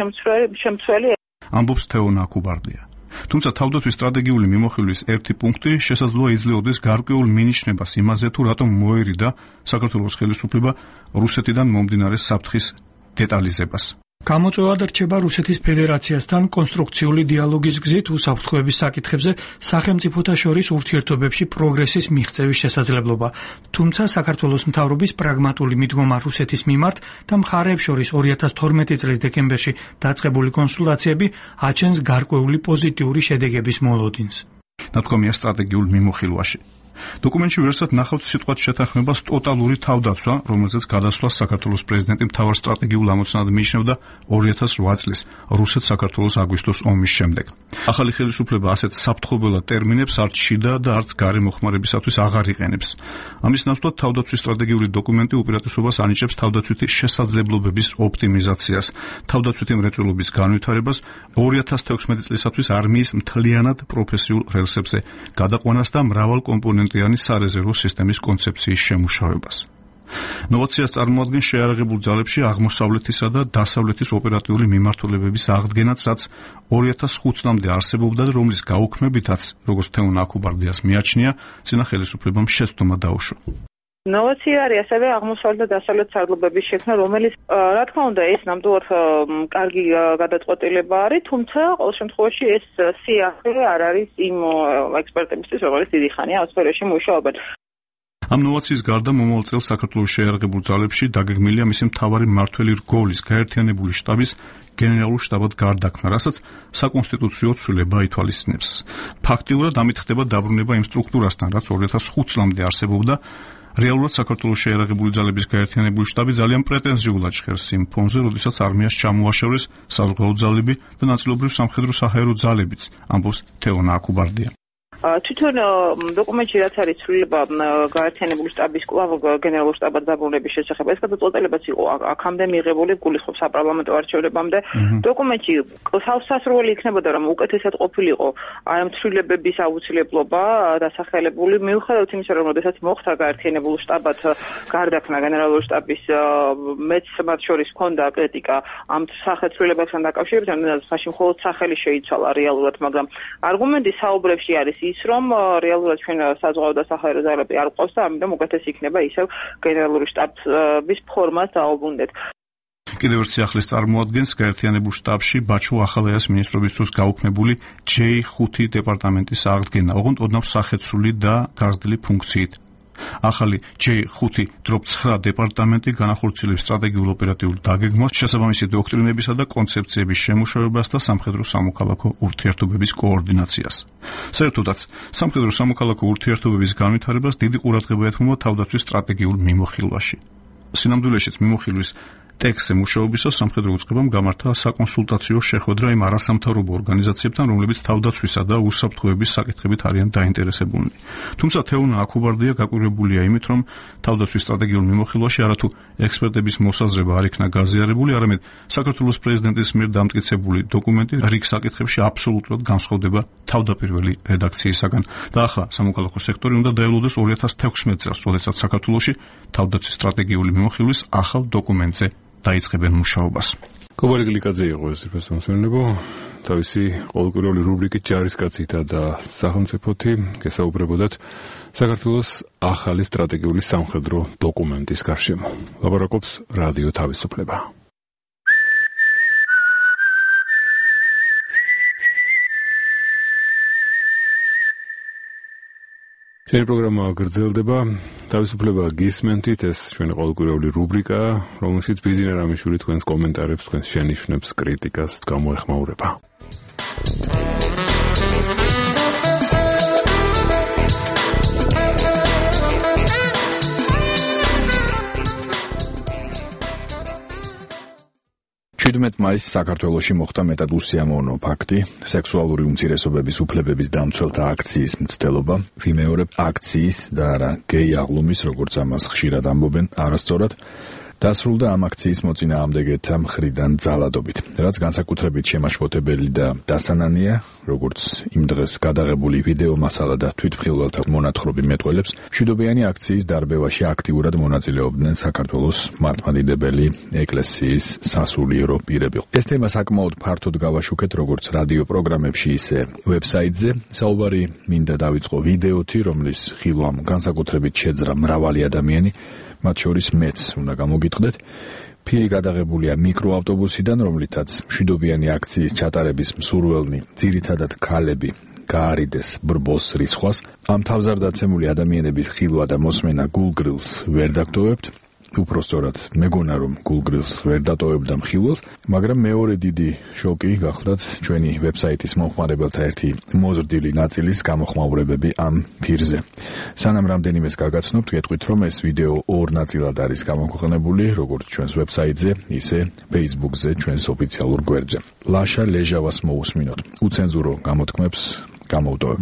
შემცველი. ამბობს თეონა აკუბარდია. თუმცა თავდაცვის სტრატეგიული მიმოხილვის ერთი პუნქტი შესაძლოა იძლეოდეს გარკვეულ მინიშნებას იმაზე, თუ რატომ მოერიდა საქართველოს ხელისუფლება რუსეთიდან მომდინარე საფრთხის დეტალიზებას. გამოწვევა რჩება რუსეთის ფედერაციასთან კონსტრუქციული დიალოგის გზით უსაფრთხოების საკითხებზე სახელმწიფოთა შორის ურთიერთობებში პროგრესის მიღწევის შესაძლებლობა. თუმცა საქართველოს მთავრობის პრაგმატული მიდგომა რუსეთის მიმართ და მხარეებს შორის ორი ათას თორმეტი წლის დეკემბერში დაწყებული კონსულტაციები აჩენს გარკვეული პოზიტიური შედეგების მოლოდინს. ნათქვამია სტრატეგიულ მიმოხილვაში. დოკუმენტში ვერსად ნახავთ სიტყვათ შეთანხმებას ტოტალური თავდაცვა, რომელზეც გადასვლას საქართველოს პრეზიდენტი მთავარ სტრატეგიულ ამოცანად მიიჩნევდა ორი ათას რვა წლის რუსეთ-საქართველოს აგვისტოს ომის შემდეგ. ახალი ხელისუფლება ასეთ საფრთხობელად ტერმინებს არც შიდა და არც გარე მოხმარებისათვის აღარ იყენებს. ამის ნაცვლად თავდაცვის სტრატეგიული დოკუმენტი უპირატესობას ანიჭებს თავდაცვითი შესაძლებლობების ოპტიმიზაციას, თავდაცვითი მრეწველობის განვითარებას, ორი ათას თექვსმეტი წლისათვის არმიის მთლიანად პროფესიულ რელსებზე გადაყვანას და მრავალკომპონენტიანი სარეზერვო სისტემის კონცეფციის შემუშავებას. ნოვაციას წარმოადგენს შეიარაღებულ ძალებში აღმოსავლეთისა და დასავლეთის ოპერატიული მიმართულებების აღდგენაც, რაც ორი ათას ხუთ წლამდე არსებობდა და რომლის გაუქმებითაც, როგორც თეონა აქუბარდიას მიაჩნია, წინა ხელისუფლებამ შეცდომა დაუშვა. ნოვაცია არის ასევე აღმოსავლეთ და დასავლეთ სარდლობების შექმნა, რომელიც რა თქმა უნდა ეს ნამდვილად კარგი გადაწყვეტილება არის, თუმცა ყოველ შემთხვევაში ეს სიახლე არ არის იმ ექსპერტებისთვის, რომელიც დიდი ხანია ამ სფეროში მუშაობენ. ამ ნოვაციის გარდა მომავალ წელს საქართველოს შეიარაღებულ ძალებში დაგეგმილია მისი მთავარი მმართველი რგოლის გაერთიანებული შტაბის გენერალურ შტაბად გარდაქმნა, რასაც საკონსტიტუციო ცვლილება ითვალისწინებს. ფაქტიურად ამით ხდება დაბრუნება იმ სტრუქტურასთან, რაც ორი ათას ხუთ წლამდე არსებობდა. რეალურად საქართველოს შეიარაღებული ძალების გაერთიანებული შტაბი ძალიან პრეტენზიულად ჟღერს იმ ფონზე, როდესაც არმიას ჩამოაშორეს საზღვაო ძალები და ნაწილობრივ სამხედრო საჰაერო ძალებიც, ამბობს თეონა აქუბარდია. თვითონ დოკუმენტში რაც არის ცვლილება გაერთიანებული შტაბის კვლავ გენერალურ შტაბად დაბრუნების შესახებ, ეს გადაწყვეტილებაც იყო აქამდე მიღებული, გულისხმობს საპარლამენტო არჩევნებამდე. დოკუმენტში სასრული იქნებოდა, რომ უკეთესად ყოფილიყო აი ამ ცვლილებების აუცილებლობა დასახელებული, მიუხედავად იმისა, რომ შესაძლოა მოხდა გაერთიანებულ შტაბად გარდაქმნა გენერალური შტაბის, მეც მათ შორის ჰქონდა კრიტიკა ამ სახელმწიფოებთან დაკავშირებით, მაშინ მხოლოდ სახელი შეიცვალა რეალურად, მაგრამ არგუმენტი საუბრებში არის ის, რომ რეალურად ჩვენ საზღვაო და საჰაერო ძალები არ გვყავს და ამიტომ უკეთესი იქნება ისევ გენერალური შტაბის ფორმას დაუბრუნდეთ. კიდევ ერთ სიახლეს წარმოადგენს გაერთიანებულ შტაბში ბაჩო ახალაიას მინისტრობის დროს გაუქმებული ჯეი ხუთი დეპარტამენტის აღდგენა, ოღონდ ოდნავ სახეცვლილი და გაზრდილი ფუნქციით. ახალი ჯეი ხუთი დროპ ცხრა დეპარტამენტი განახორციელებს სტრატეგიულ ოპერატიულ დაგეგმვას, შესაბამისი დოქტრინებისა და კონცეფციების შემუშავებას და სამხედრო სამოქალაქო ურთიერთობების კოორდინაციას. საერთოდაც, სამხედრო სამოქალაქო ურთიერთობების განვითარებას დიდი ყურადღება ეთმობა თავდაცვის სტრატეგიულ მიმოხილვაში. სინამდვილეშიც მიმოხილვის ტექსტზე მუშაობისას სამხედრო უწყებამ გამართა საკონსულტაციო შეხვედრა იმ არასამთავრობო ორგანიზაციებთან, რომლებიც თავდაცვისა და უსაფრთხოების საკითხებით არიან დაინტერესებულნი. თუმცა თეონა აქუბარდია გაკვირვებულია იმით, რომ თავდაცვის სტრატეგიულ მიმოხილვაში არათუ ექსპერტების მოსაზრება არ იქნა გაზიარებული, არამედ საქართველოს პრეზიდენტის მიერ დამტკიცებული დოკუმენტი რიგ საკითხებში აბსოლუტურად განსხვავდება თავდაპირველი რედაქციისაგან. და ახლა სამოქალაქო სექტორი უნდა დაელოდოს ორი ათას თექვსმეტ წელს, როდესაც საქართველოში თავდაცვის სტრატეგიული მიმოხილვის ახალ დოკუმენტზე დაიწყებენ მუშაობას. კობალე გლიკაძე იყო ეს პროფესიონალებო, თავისი ყოველკვირეული რუბრიკით ჯარისკაცითა და სახელმწიფოთი გესაუბრებოდათ საქართველოს ახალი სტრატეგიული სამხედრო დოკუმენტის გარშემო. ლაპარაკობს რადიო თავისუფლება. ჩვენი პროგრამა გრძელდება. თავისუფლება გისმენთ, ეს ჩვენი ყოველკვირეული რუბრიკაა, რომელშიც ბიზნეს რამიშვილი თქვენს კომენტარებს, თქვენს შენიშვნებს, კრიტიკას გამოეხმაურება. შვიდმეტ მაისს საქართველოში მოხდა მეტად უსიამოვნო ფაქტი, სექსუალური უმცირესობების უფლებების დამცველთა აქციის მცდელობა, ვიმეორებ აქციის და არა გეი აღლუმის, როგორც ამას ხშირად ამბობენ, არასწორად დასრულდა ამ აქციის მოწინააღმდეგეთა მხრიდან ძალადობით, რაც განსაკუთრებით შემაშფოთებელი და დასანანია, როგორც იმ დღეს გადაღებული ვიდეო მასალა და თვითმხილველთა მონათხრობი მეტყველებს, მშვიდობიანი აქციის დარბევაში აქტიურად მონაწილეობდნენ საქართველოს მართლმადიდებელი ეკლესიის სასულიერო პირები. ეს თემა საკმაოდ ფართოდ გავაშუქეთ როგორც რადიო პროგრამებში, ისე ვებსაიტზე. საუბარი მინდა დავიწყო ვიდეოთი, რომლის ხილვამ განსაკუთრებით შეძრა მრავალი ადამიანი, მათ შორის მეც უნდა გამოგიტყდეთ. ფირი გადაღებულია მიკროავტობუსიდან, რომლითაც მშვიდობიანი აქციის ჩატარების მსურველნი, ძირითადად ქალები, გაარიდეს ბრბოს რისხვას. ამ თავზარდაცემული ადამიანების ხილვა და მოსმენა გულგრილს ვერ დაგტოვებთ. უფრო სწორად, მეგონა რომ გულგრილს ვერ დატოვებდა მხილველს, მაგრამ მეორე დიდი შოკი გახლდათ ჩვენი ვებსაიტის მომხმარებელთა ერთი მოზრდილი ნაწილის გამოხმაურებები ამ ფირზე. სანამ რამდენიმეს გაგაცნობთ, გეტყვით რომ ეს ვიდეო ორ ნაწილად არის გამოქვეყნებული, როგორც ჩვენს ვებსაიტზე, ისე Facebook-ზე, ჩვენს ოფიციალურ გვერდზე. ლაშა ლეჟავას მოусმინოთ. უცენზურო გამოთქმებს გამოვტოვებ.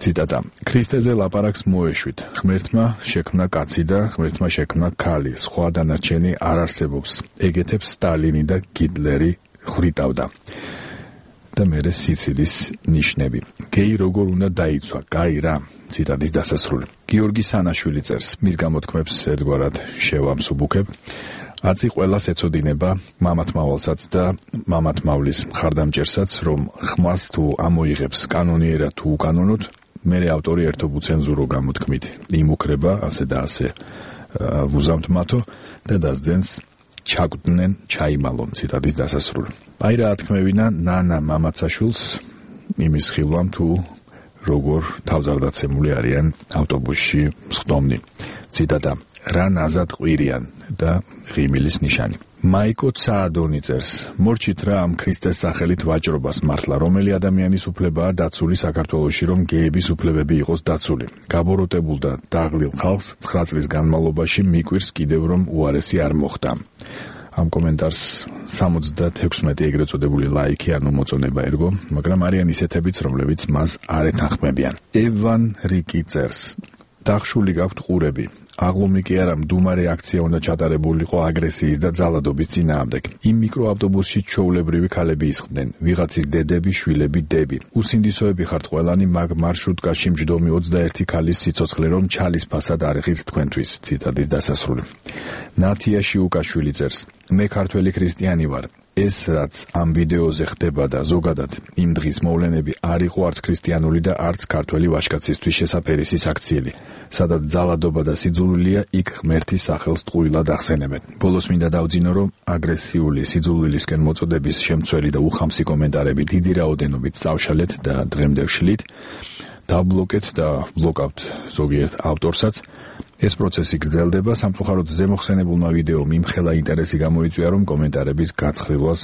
ციტატა: ქრისტეზე ლაპარაკს მოეშვით. ღმერთმა შექმნა კაცი და ღმერთმა შექმნა ქალი. სხვა დანარჩენი არ არსებობს. ეგეთებს სტალინი და გიტლერი ხრიტავდა. და მერე სიცილის ნიშნები. გეი როგორ უნდა დაიცვა? კაი რა. ციტატის დასასრული. გიორგი სანაშვილი წერს. მის გამოთქმებს ერთგვარად შევამსუბუქებ. აცი ყველას ეწოდინება, მამათმავალსაც და მამათმავლის მხარდამჭერსაც, რომ ხმას თუ ამოიღებს კანონიერად თუ უკანონოდ, მერე ავტორი ერთობ უცენზურო გამოთქმით იმუქრება, ასე და ასე ვუზამთ მათო და დასძენს ჩაგვდნენ ჩაიმალონ. ციტატის დასასრული. აი რა ათქმევინა ნანა მამაცაშვილს იმის ხილვამ თუ როგორ თავზარდაცემული არიან ავტობუსში მსხდომნი. ციტატა: რა ნაზად ყვირიან და ღიმილის ნიშანი. მაიკო ცაადონი წერს: მორჩით რა ამ ქრისტეს სახელით ვაჭრობას მართლა, რომელი ადამიანის უფლებაა დაცული საქართველოში, რომ გეების უფლებები იყოს დაცული. გაბოროტებულ და დაღლილ ხალხს ცხრა წლის განმავლობაში მიკვირს კიდევ რომ უარესი არ მოხდა. ამ კომენტარს სამოცდაექვსმეტი ეგრეთ წოდებული ლაიქი ანუ მოწონება ერგო, მაგრამ არიან ისეთებიც, რომლებიც მას არ ეთანხმებიან. ევან რიკი წერს: დახშული გაქვთ ყურები. აღლომი კი არა, მდუმარე აქცია უნდა ჩატარებულიყო აგრესიის და ძალადობის წინააღმდეგ. იმ მიკროავტობუსში ჩვეულებრივი ქალები ისხდნენ, ვიღაცის დედები, შვილები, დები. უსინდისოები ხართ ყველანი, მაგ მარშრუტკაში მჯდომი ოცდაერთი ქალის სიცოცხლე რომ ჩალის ფასად არ ღირს თქვენთვის. ციტატის დასასრული. ნათია შიუკაშვილი წერს: მე ქართველი ქრისტიანი ვარ. ეს რაც ამ ვიდეოზე ხდება და ზოგადად იმ დღის მოვლენები არ იყო არც ქრისტიანული და არც ქართველი ვაჟკაცისთვის შესაფერისის აქციელი, სადაც ძალადობა და სიძულვილია იქ ღმერთის სახელს ტყუილად ახსენებენ. ბოლოს მინდა დავძინო, რომ აგრესიული სიძულვილისკენ მოწოდების შემცველი და უხამსი კომენტარები დიდი რაოდენობით წავშალეთ და დღემდე ვშლით, დაბლოკეთ და ბლოკავთ ზოგიერთ ავტორსაც. ეს პროცესი გრძელდება, სამწუხაროდ ზემოხსენებულმა ვიდეომ იმხელა ინტერესი გამოიწვია, რომ კომენტარების გაცხრილვას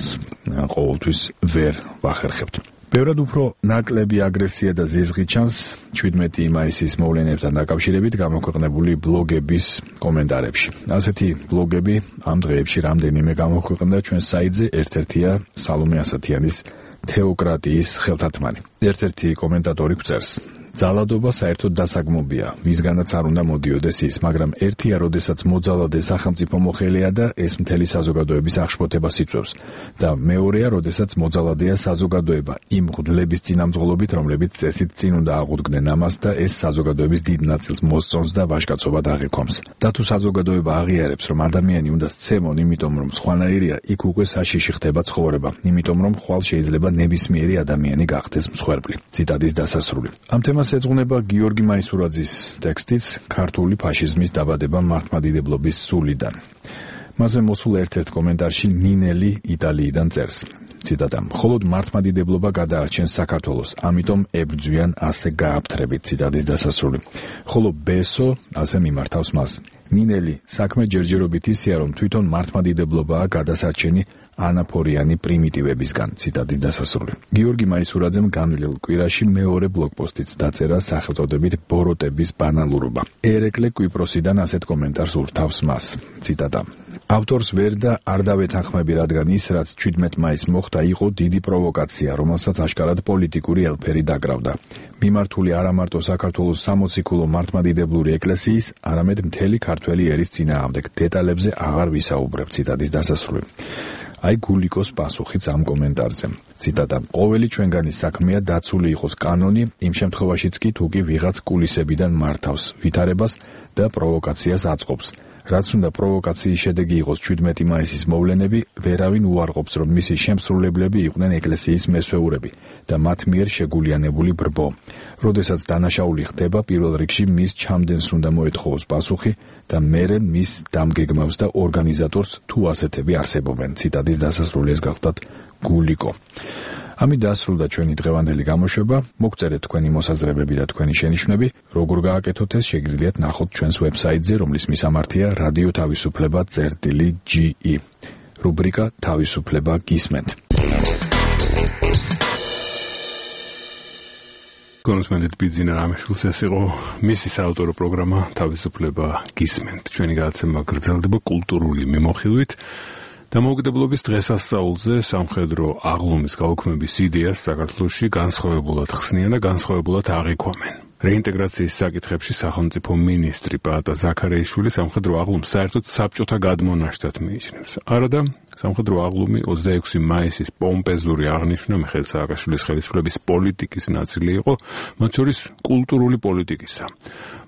ყოველთვის ვერ ვახერხებთ. ბევრად უფრო ნაკლები აგრესია და ზიზღი ჩანს შვიდმეტი მაისის მოვლენებთან დაკავშირებით გამოქვეყნებული ბლოგების კომენტარებში. ასეთი ბლოგები ამ დღეებში რამდენიმე გამოქვეყნდა ჩვენ საიტზე, ერთ-ერთია სალომე ასათიანის თეოკრატიის ხელთათმანი. ერთ-ერთი კომენტატორი გვწერს: ძალადობა საერთოდ დასაგმობია, მისგანაც არ უნდა მოდიოდეს ის, მაგრამ ერთია, როდესაც მოძალადე სახელმწიფო მოხელეა და ეს მთელი საზოგადოების აღშფოთებას იწვევს და მეორეა, როდესაც მოძალადეა საზოგადოება იმ მღვდლების წინამძღოლობით, რომლებიც წესით წინ უნდა აღუდგნენ ამას და ეს საზოგადოების დიდ ნაწილს მოსწონს და ვაჟკაცობად აღიქვამს. და თუ საზოგადოება აღიარებს, რომ ადამიანი უნდა სცემონ, იმიტომ რომ სხვანაირია, იქ უკვე საშიში ხდება ცხოვრება, იმიტომ რომ ხვალ შეიძლება ნებისმიერი ადამიანი გახდეს მსხვერპლი. ციტატის დასასრული. ამ თემას ეძღვნება გიორგი მაისურაძის ტექსტიც ქართული ფაშიზმის დაბადება მართლმადიდებლობის სულიდან. მასზე მოსულ ერთ-ერთ კომენტარში ნინელი იტალიიდან წერს. ციტატა: მხოლოდ მართლმადიდებლობა გადაარჩენს საქართველოს, ამიტომ ებრძვიან ასე გააფთრებით. ციტატის დასასრული. ხოლო ბესო ასე მიმართავს მას. ნინელი, საქმე ჯერჯერობით ისეა, რომ თვითონ მართლმადიდებლობაა გადასარჩენი ანაფორიანი პრიმიტივებისგან. ციტატის დასასრული. გიორგი მაისურაძემ განვლილ კვირაში მეორე ბლოგპოსტიც დაწერა სახელწოდებით ბოროტების ბანალურობა. ერეკლე კვიპროსიდან ასეთ კომენტარს ურთავს მას. ციტატა: ავტორს ვერ და არ დავეთანხმები, რადგან ის, რაც შვიდმეტ მაისს მოხდა, იყო დიდი პროვოკაცია, რომელსაც აშკარად პოლიტიკური ელფერი დაკრავდა. მიმართული არა მარტო საქართველოს სამოციქულო მართლმადიდებლური ეკლესიის, არამედ მთელი ქართველი ერის წინააღმდეგ. დეტალებზე აღარ ვისაუბრებ. ციტატის დასასრული. აი გულიკოს პასუხიც ამ კომენტარზე. ციტატა: ყოველი ჩვენგანის საქმეა დაცული იყოს კანონი, იმ შემთხვევაშიც კი თუ კი ვიღაც კულისებიდან მართავს ვითარებას და პროვოკაციას აწყობს. რაც უნდა პროვოკაციის შედეგი იყოს შვიდმეტი მაისის მოვლენები, ვერავინ უარყოფს, რომ მისი შემსრულებლები იყვნენ ეკლესიის მესვეურები და მათ მიერ შეგულიანებული ბრბო. როდესაც დანაშაული ხდება, პირველ რიგში მის ჩამდენს უნდა მოეთხოვოს პასუხი და მერე მის დამგეგმავს და ორგანიზატორს თუ ასეთები არსებობენ. ციტატის დასასრულიეს გახლდათ გულიკო. ამით დასრულდა ჩვენი დღევანდელი გამოშვება. მოგწერეთ თქვენი მოსაზრებები და თქვენი შენიშვნები. როგორ გააკეთოთ ეს, შეგიძლიათ ნახოთ ჩვენს ვებსაიტზე, რომლის მისამართია რადიო თავისუფლება წერტილი ჯი ი. რუბრიკა თავისუფლება გისმენთ. გონსმენდით ბიძინა რამიშვილს ეს იყო მისი საავტორო პროგრამა თავისუფლება გისმენთ. ჩვენი გადაცემა გრძელდება კულტურული მიმოხილვით. დამოუკიდებლობის დღესასწაულზე სამხედრო აღლუმის გაუქმების იდეას საქართველოში განსხვავებულად ხსნიან და განსხვავებულად აღიქვამენ. რეინტეგრაციის საკითხებში სახელმწიფო მინისტრი პაატა ზაქარიაშვილი სამხედრო აღლუმს საერთოდ საბჭოთა გადმონაშთად მიიჩნევს. არადა სამხედრო აღლუმი ოცდაექვსი მაისის პომპეზური აღნიშვნა მიხეილ სააკაშვილის ხელისუფლების პოლიტიკის ნაწილი იყო, მათ შორის კულტურული პოლიტიკისა.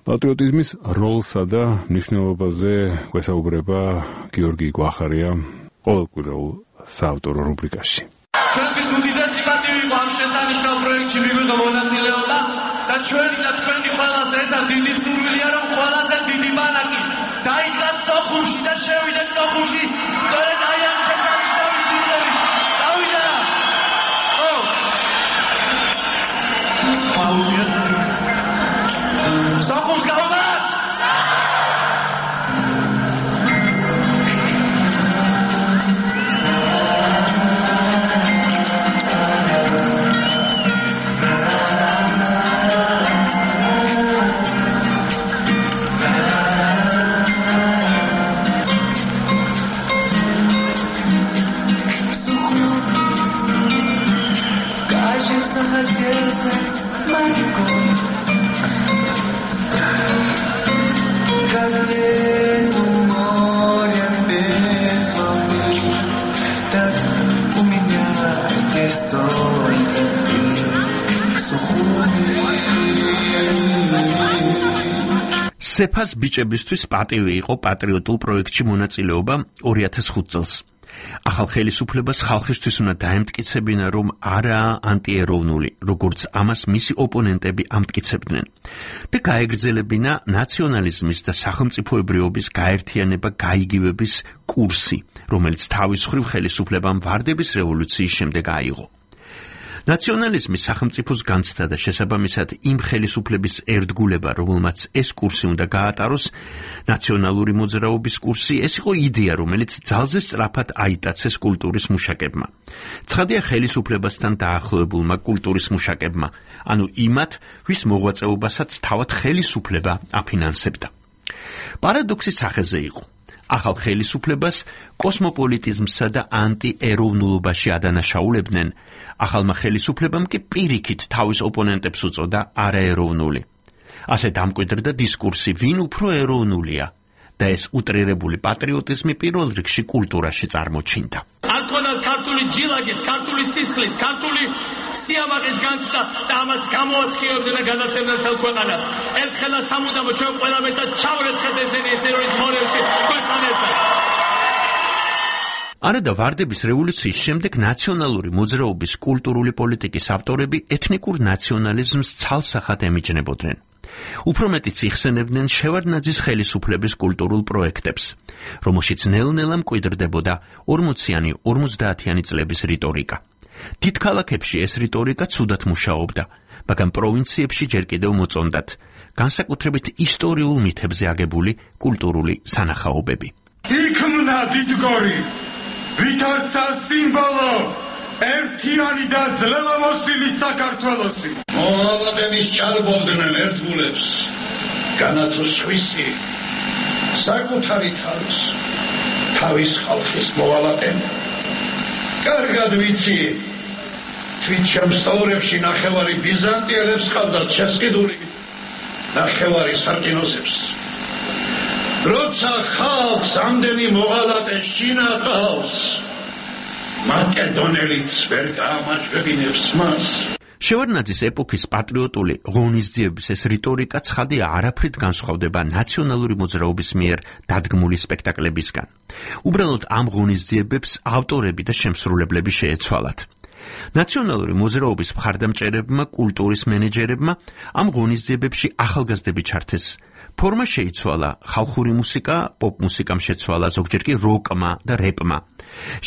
პატრიოტიზმის როლსა და მნიშვნელობაზე გვესაუბრება გიორგი გვახარია ყოველკვირეულ საავტორო რუბრიკაში. ჩვენთვის უდიდესი პატივი იყო ამ შესანიშნავ პროექტში მივიღო მონაწილეობა და ჩვენი და თქვენი ყველაზე ერთად დიდი სურვილია, რომ ყველაზე დიდი ბანაკი დაიდგას სოხუმში და შევიდეთ სოხუმში სწორედ აი ამ შესანიშნავი სიმღერით. წავიდა! ო! აუძიეთ! სოხუმს გავამართ! სეფას ბიჭებისთვის პატივი იყო პატრიოტულ პროექტში მონაწილეობა ორი ათას ხუთ წელს. ახალ ხელისუფლებას ხალხისთვის უნდა დაემტკიცებინა, რომ არაა ანტიეროვნული, როგორც ამას მისი ოპონენტები ამტკიცებდნენ. და გაეგრძელებინა ნაციონალიზმის და სახელმწიფოებრიობის გაერთიანება გაიგივების კურსი, რომელიც თავის მხრივ ხელისუფლებამ ვარდების რევოლუციის შემდეგ აიღო. ნაციონალიზმი სახელმწიფოს განცდა და შესაბამისად იმ ხელისუფლების ერთგულება, რომელმაც ეს კურსი უნდა გაატაროს, ნაციონალური მოძრაობის კურსი, ეს იყო იდეა, რომელიც ძალზე სწრაფად აიტაცეს კულტურის მუშაკებმა. ცხადია ხელისუფლებასთან დაახლოებულმა კულტურის მუშაკებმა, ანუ იმათ, ვის მოღვაწეობასაც თავად ხელისუფლება აფინანსებდა. პარადოქსი სახეზე იყო. ახალ ხელისუფლებას კოსმოპოლიტიზმსა და ანტიეროვნულობაში ადანაშაულებდნენ, ახალმა ხელისუფლებამ კი პირიქით თავის ოპონენტებს უწოდა არაეროვნული. ასე დამკვიდრდა დისკურსი, ვინ უფრო ეროვნულია და ეს უტრირებული პატრიოტიზმი პირველ რიგში კულტურაში წარმოჩინდა. არ ქონდა ქართული ჯილაგის, ქართული სისხლის, ქართული სიამაყის განცდა და ამას გამოასხივებდნენ და განაცემდნენ თელ ქვეყანას. ერთხელაც სამუდამოდ ჩვენ ყველა მეტად ჩავრეცხეთ ესენი ესეროის მორევში ქვეყნთან ერთად. არადა ვარდების რევოლუციის შემდეგ ნაციონალური მოძრაობის კულტურული პოლიტიკის ავტორები ეთნიკურ ნაციონალიზმს ცალსახად ემიჯნებოდნენ. უფრო მეტიც იხსენებდნენ შევარდნაძის ხელისუფლების კულტურულ პროექტებს, რომელშიც ნელ-ნელა მკვიდრდებოდა ორმოციანი ორმოცდაათიანი წლების რიტორიკა. დიდ ქალაქებში ეს რიტორიკა ცუდად მუშაობდა, მაგრამ პროვინციებში ჯერ კიდევ მოწონდათ, განსაკუთრებით ისტორიულ მითებზე აგებული კულტურული სანახაობები. იქმნა დიდგორი, ვითარცა სიმბოლო, ერთიანი და ძლევამოსილი საქართველოსი. მოვალეების ჩარბობდნენ ერთგულებს, განათო სხვისი, საკუთარი თავის, თავის ხალხის მოვალეენ. კარგად ვიცი, თვით შემსწავლებში ნახევარი ბიზანტიელებს ყავდათ შესყიდული, ნახევარი სარკინოსებს. როცა ხალხს ამდენი მოღალატე შინახავს, მაკედონელიც ვერ გაამაჩვენებს მას. შევარდნაძის ეპოქის პატრიოტული ღონისძიების ეს რიტორიკა ცხადია არაფრით განსხვავდება ნაციონალური მოძრაობის მიერ დადგმული სპექტაკლებისგან. უბრალოდ ამ ღონისძიებებს ავტორები და შემსრულებლები შეეცვალათ. ნაციონალური მოძრაობის მხარდამჭერებმა, კულტურის მენეჯერებმა ამ ღონისძიებებში ახალგაზრდები ჩართეს. ფორმა შეიცვალა, ხალხური მუსიკა, პოპ მუსიკამ შეცვალა, ზოგჯერ კი როკმა და რეპმა.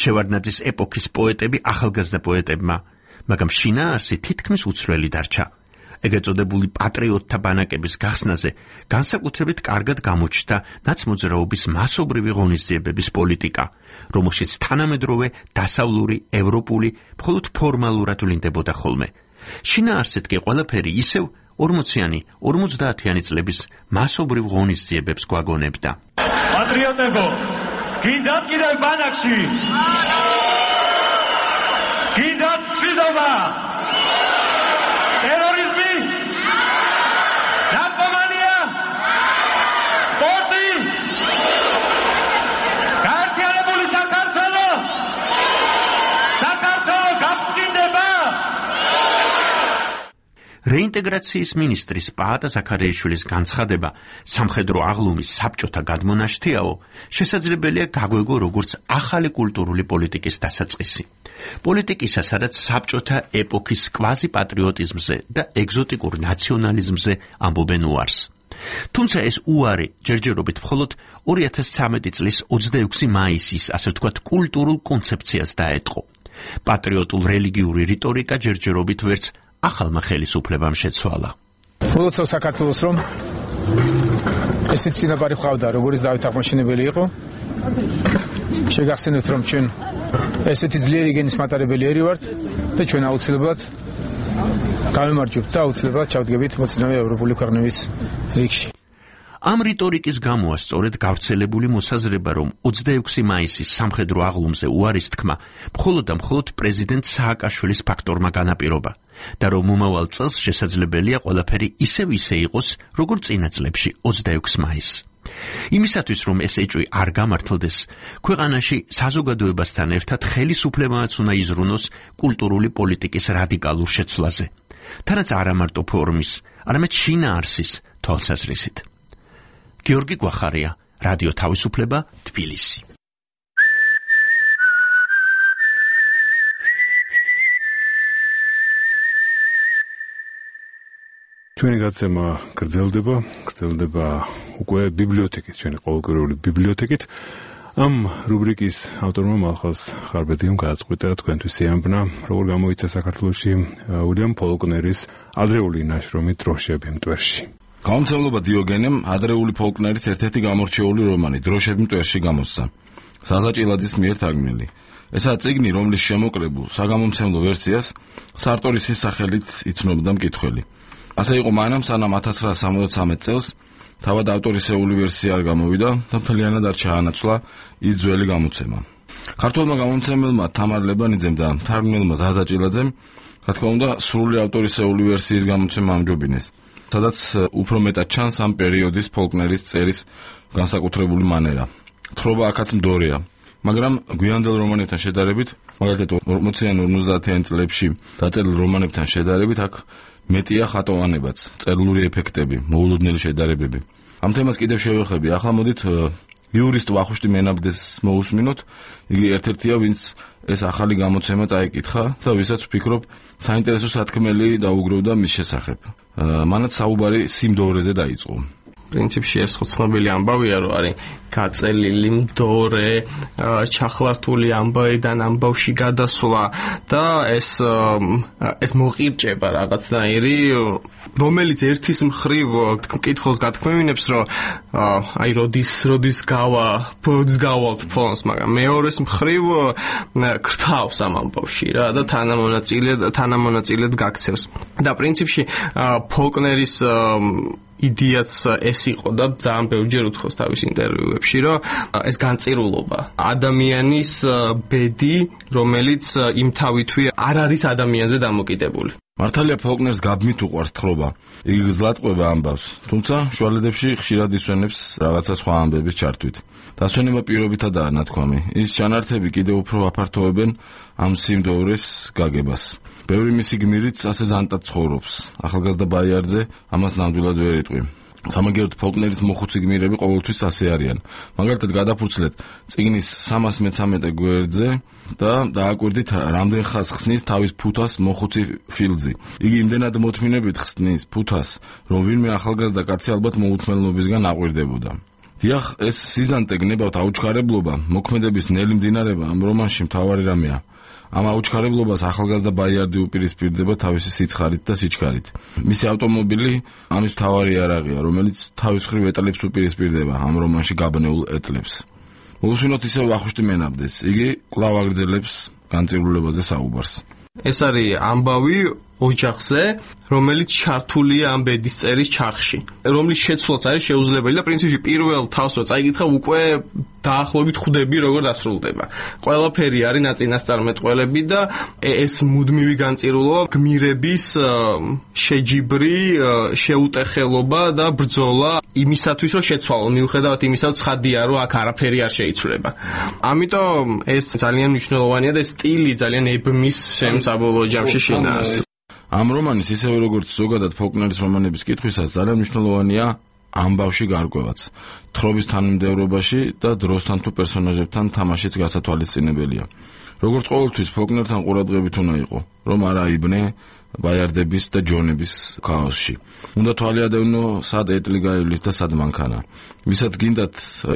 შევარდნაძის ეპოქის პოეტები ახალგაზრდა პოეტებმა, მაგრამ შინაარსი თითქმის უცვლელი დარჩა. ეგრეთ წოდებული პატრიოტთა ბანაკების გახსნაზე განსაკუთრებით კარგად გამოჩნდა ნაცმოძრაობის მასობრივი ღონისძიებების პოლიტიკა, რომელშიც თანამედროვე დასავლური, ევროპული, მხოლოდ ფორმალურად ვლინდებოდა ხოლმე. შინაარსით კი ყველაფერი ისევ ორმოციანი, ორმოცდაათიანი წლების მასობრივ ღონისძიებებს გვაგონებდა. პატრიოტებო, გინდათ კიდევ ბანაკში? გინდათ მშვიდობა? ტერორიზმი? ნარკომანია? სპორტი? გაერთიანებული საქართველო? საქართველო გაფრთხილდება? რეინტეგრაციის მინისტრის პაატა ზაქარიაშვილის განცხადება სამხედრო აღლუმის საბჭოთა გადმონაშთიაო შესაძლებელია გაგვეგო როგორც ახალი კულტურული პოლიტიკის დასაწყისი. პოლიტიკისა, სადაც საბჭოთა ეპოქის კვაზი პატრიოტიზმზე და ეგზოტიკურ ნაციონალიზმზე ამბობენ უარს. თუმცა ეს უარი ჯერჯერობით მხოლოდ ორი ათას ცხრამეტი წლის ოცდაექვსი მაისის, ასე ვთქვათ, კულტურულ კონცეფციას დაეტყო. პატრიოტულ რელიგიური რიტორიკა ჯერჯერობით ვერც ახალმა ხელისუფლებამ შეცვალა. მოლოცავ საქართველოს რომ ესეც წინაპარი ყავდა, როგორც დავით აღმაშენებელი იყო. შეგახსენებთ რომ ჩვენ ესეთი ძლიერი გენის მატარებელი ერი ვართ და ჩვენ აუცილებლად გავემარჯვებთ და აუცილებლად ჩავდგებით მოწინავე ევროპული ქვეყნების რიგში. ამ რიტორიკის გამოა სწორედ გავრცელებული მოსაზრება, რომ ოცდაექვსი მაისის სამხედრო აღლუმზე უარის თქმა მხოლოდ და მხოლოდ პრეზიდენტ სააკაშვილის ფაქტორმა განაპირობა და რომ მომავალ წელს შესაძლებელია ყველაფერი ისევ ისე იყოს, როგორც წინა წლებში ოცდაექვსი მაისს. იმისათვის, რომ ეს ეჭვი არ გამართლდეს, ქვეყანაში საზოგადოებასთან ერთად ხელისუფლებაც უნდა იზრუნოს კულტურული პოლიტიკის რადიკალურ შეცვლაზე, თანაც არა მარტო ფორმის, არამედ შინაარსის თვალსაზრისით. გიორგი გვახარია, რადიო თავისუფლება, თბილისი. ჩვენი გაცემა გრძელდება, გრძელდება უკვე ბიბლიოთეკით, ჩვენი ყოველკვირეული ბიბლიოთეკით. ამ რუბრიკის ავტორმა მალხაზ ხარბედიამ გააწყვიტა თქვენთვის ეამბნა, როგორ გამოიცა საქართველოში უილიამ ფოლკნერის ადრეული ნაშრომი დროშები მტვერში. გამომცემლობა დიოგენემ ადრეული ფოლკნერის ერთ-ერთი გამორჩეული რომანი დროშები მტვერში გამოსცა. საზა ჭილაძის მიერ თარგმნილი. ესაა წიგნი, რომლის შემოკრებულ საგამომცემლო ვერსიას სარტორისის სახელით იცნობდა მკითხველი. ასე იყო მანამ, სანამ ათას ცხრაასა სამოცდამეტ წელს თავად ავტორისეული ვერსია არ გამოვიდა და მთლიანად არ ჩაანაცვლა ის ძველი გამოცემა. ქართველმა გამომცემელმა თამარ ლებანიძემ და თარგმნელმა ზაზა ჭილაძემ, რა თქმა უნდა, სრული ავტორისეული ვერსიის გამოცემა ამჯობინეს, სადაც უფრო მეტად ჩანს ამ პერიოდის ფოლკნერის წერის განსაკუთრებული მანერა. თხრობა აქაც მდორეა, მაგრამ გვიანდელ რომანებთან შედარებით, მაგალითად ორმოციან ორმოცდაათიან წლებში დაწერილ რომანებთან შედარებით, აქ მეტია ხატოვანებაც, წერილური ეფექტები, მოულოდნელი შედარებები. ამ თემას კიდევ შევეხები. ახლა მოდით იურისტ ვახუშტი მენაბდეს მოусმინოთ. იგი ერთ-ერთია, ვინც ეს ახალი გამოცემა წაიკითხა და ვისაც ვფიქრობ, საინტერესო სათქმელი დაუგროვდა მის შესახებ. მანაც საუბარი სიმდოვრეზე დაიწყო. პრინციპში ეს ხო ცნობილი ამბავია, რომ არის გაწელილი მდორე, ჩახლართული ამბავიდან ამბავში გადასვლა და ეს ეს მოყირჭება რაღაცნაირი, რომელიც ერთის მხრივ მკითხველს გათქმევინებს, რომ აი როდის როდის გავა, როდის გავალთ ფონს, მაგრამ მეორეს მხრივ ქრთავს ამ ამბავში რა და თანამონაწილედ თანამონაწილედ გაქცევს. და პრინციპში ფოლკნერის იდეაც ეს იყო და ძალიან ბევრჯერ უთხოვს თავის ინტერვიუებში, რომ ეს განწირულობა, ადამიანის ბედი, რომელიც იმ თავითვე არ არის ადამიანზე დამოკიდებული. მართალია ფოლკნერს გაბმით უყვარს თხრობა. იგი გზლად ყვება ამბავს, თუმცა შუალედებში ხშირად ისვენებს რაღაცა სხვა ამბების ჩართვით. დასვენება პირობითადაა ნათქვამი. ის ჩანართები კიდევ უფრო აფართოვებენ ამ სიმდოვრეს გაგებას. ბევრი მისი გმირიც ასე ზანტად ცხოვრობს. ახალგაზრდა ბაიარძე ამას ნამდვილად ვერ იტყვი. სამაგიეროდ ფოლკნერის მოხუცი გმირები ყოველთვის ასე არიან. მაგალითად გადაფურცლეთ წიგნის სამას მეცამეტე გვერდზე და დააკვირდით რამდენ ხას ხსნის თავის ფუთას მოხუცი ფილძი. იგი იმდენად მოთმინებით ხსნის ფუთას, რომ ვინმე ახალგაზრდა კაცი ალბათ მოუთმელნობისგან აყვირდებოდა. დიახ, ეს სიზანტე გნებავთ აუჩქარებლობა, მოქმედების ნელი მდინარება ამ რომანში მთავარი რამეა. ამ აუჩქარებლობას ახალგაზრდა ბაიარდი უპირისპირდება თავისი სიცხარით და სიჩქარით. მისი ავტომობილი ამის მთავარი იარაღია, რომელიც თავის მხრივ ეტლებს უპირისპირდება ამ რომანში გაბნეულ ეტლებს. მოусვინოთ ისევ ვახუშტი მენაბდეს. იგი კვლავ აგრძელებს განწირულებაზე საუბარს. ეს არის ამბავი ოჯახზე, რომელიც ჩართულია ამ ბედისწერის ჩარხში, რომლის შეცვლაც არის შეუძლებელი და პრინციპში პირველ თავს რო წაიგითხა უკვე დაახლოებით ხვდები როგორ დასრულდება. ყველაფერი არის ნაწინასწარმეტყველები და ეს მუდმივი განწირულობა გმირების შეჯიბრი შეუტეხელობა და ბრძოლა იმისათვის რომ შეცვალონ, მიუხედავად იმისა, რომ ცხადია რომ აქ არაფერი არ შეიცვლება. ამიტომ ეს ძალიან მნიშვნელოვანია და სტილი ძალიან ებმის შემს საბოლოო ჯამში შინაარს. ამ რომანის ისევე როგორც ზოგადად ფოლკნერის რომანების კითხვისას ძალიან მნიშვნელოვანია ამბავში გარკვევაც, თხრობის თანმიმდევრობაში და დროსთან თუ პერსონაჟებთან თამაშიც გასათვალისწინებელია. როგორც ყოველთვის ფოლკნერთან ყურადღებით უნდა იყო, რომ არ აიბნე ბაიარდების და ჯონების ქაოსში. უნდა თვალი ადევნო სად ეტლი გაივლის და სად მანქანა. ვისაც გინდათ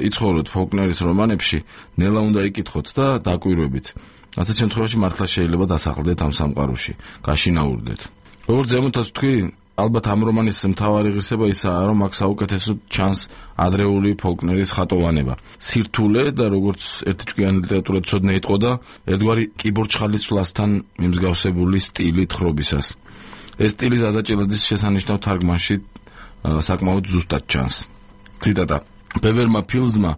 იცხოვროთ ფოლკნერის რომანებში, ნელა უნდა იკითხოთ და დაკვირვებით. ასეთ შემთხვევაში მართლა შეიძლება დასახლდეთ ამ სამყაროში, გაშინაურდეთ. როგორც ზემოთაც თქვი, ალბათ ამ რომანის მთავარი ღირსება ისაა, რომ აქ საუკეთესოდ ჩანს ადრეული ფოლკნერის ხატოვანება. სირთულე და როგორც ერთიჭკვიანი ლიტერატურაცოდნე იტყოდა, ერთგვარი კიბორჩხალისვლასთან მიმსგავსებული სტილი თხრობისას. ეს სტილი ზაზა ჭილაძის შესანიშნავ თარგმანში საკმაოდ ზუსტად ჩანს. ციტატა: ბევერმა ფილზმა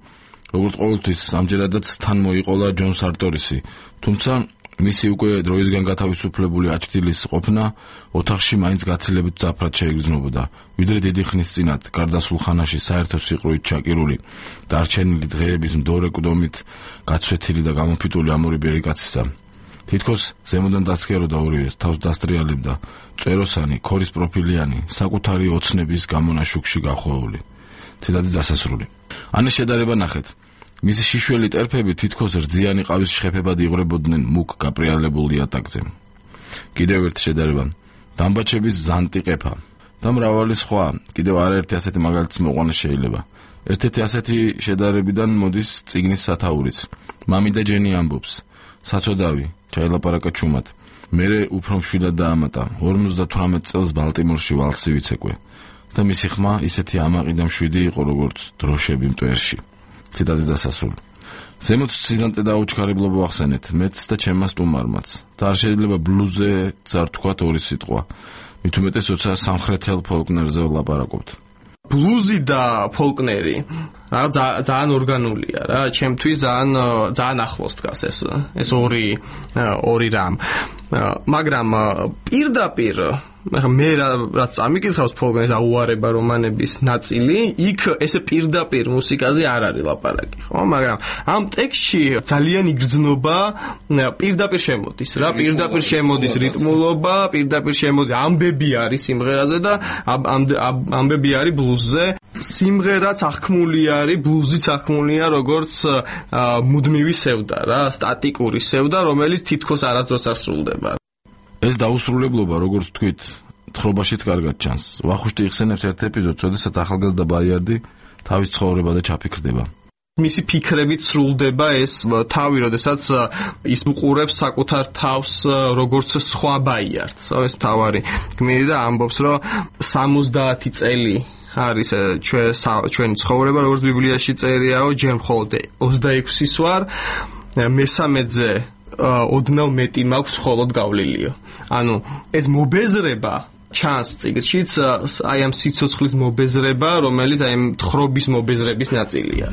როგორც ყოველთვის ამჯერადაც თან მოიყოლა ჯონ სარტორისი, თუმცა მისი უკვე დროისგან გათავისუფლებული აჩრდილის ყოფნა ოთახში მაინც გაცილებით ძაფრად შეიგრძნობოდა, ვიდრე დიდი ხნის წინათ გარდასულ ხანაში საერთო სიყრუით ჩაკირული დარჩენილი დღეების მდორე კვდომით გაცვეთილი და გამოფიტული ამორიბერი კაცისა. თითქოს ზემოდან დასქეროდა ორივეს, თავს დასტრიალებდა წეროსანი, ქორის პროფილიანი, საკუთარი ოცნების გამონაშუქში გახვეული. ციტატის დასასრული. ანე შედარება ნახეთ. მისი შიშველი ტერფები თითქოს რძიანი ყავის შეფებად იღრებოდნენ მუქ გაპრიალებულ იატაკზე. კიდევ ერთი შედარება. დამბაჩების ზანტი ყეფა და მრავალი სხვა, კიდევ არაერთი ასეთი მაგალითის მოყვანა შეიძლება. ერთ-ერთი ასეთი შედარებიდან მოდის წიგნის სათაურიც. მამი და ჯენი ამბობს: საწოდავი, ჩაილაპარაკა ჩუმად. მერე უფრო მშვიდად დაამატა. ორმოცდათვრამეტ წელს ბალტიმორში ვალსი ვიცეკვე. და მისი ხმა ისეთი ამაყი და მშვიდი იყო, როგორც დროშები მტვერში. ციტატის დასასრული. ზემოთ სიზანტე და აუჩქარებლობა ახსენეთ, მეც და ჩემმა სტუმარმაც. და არ შეიძლება ბლუზე ძარ თქვათ ორი სიტყვა. მით უმეტეს როცა სამხრეთელ ფოლკნერზე ვლაპარაკობთ. ბლუზი და ფოლკნერი რა ძალიან ორგანულია რა, ჩემთვის ძალიან ძალიან ახლოს დგას ეს ეს ორი ორი რამ. მაგრამ პირდაპირ მე რაც წამიკითხავს ფოლკნერის აუარება რომანების ნაწილი, იქ ესე პირდაპირ მუსიკაზე არ არის ლაპარაკი, ხო? მაგრამ ამ ტექსტში ძალიან იგრძნობა პირდაპირ შემოდის რა, პირდაპირ შემოდის რიტმულობა, პირდაპირ შემოდის ამბები არის სიმღერაზე და ამბები არის ბლუზზე. სიმღერაც აღქმული არის, ბლუზიც აღქმულია როგორც მუდმივი სევდა რა, სტატიკური სევდა, რომელიც თითქოს არასდროს არ სრულდება. ეს დაუსრულებლობა, როგორც თქვით, თხრობაშიც კარგად ჩანს. ვახუშტი იხსენებს ერთ ეპიზოდს, როდესაც ახალგაზრდა ბაიარდი თავის ცხოვრებაზე ჩაფიქრდება. მისი ფიქრებით სრულდება ეს თავი, როდესაც ის უყურებს საკუთარ თავს როგორც სხვა ბაიარდს. ეს თავარი გმირი და ამბობს, რომ სამოცდაათი წელი არის ჩვენი ცხოვრება, როგორც ბიბლიაში წერიაო, ჯერ მხოლოდ ოცდაექვსის ვარ, მესამედზე ოდნავ მეტი მაქვს მხოლოდ გავლილიო. ანუ ეს მობეზრება ჩანს წიგნშიც, აი ამ სიცოცხლის მობეზრება, რომელიც აი ამ თხრობის მობეზრების ნაწილია.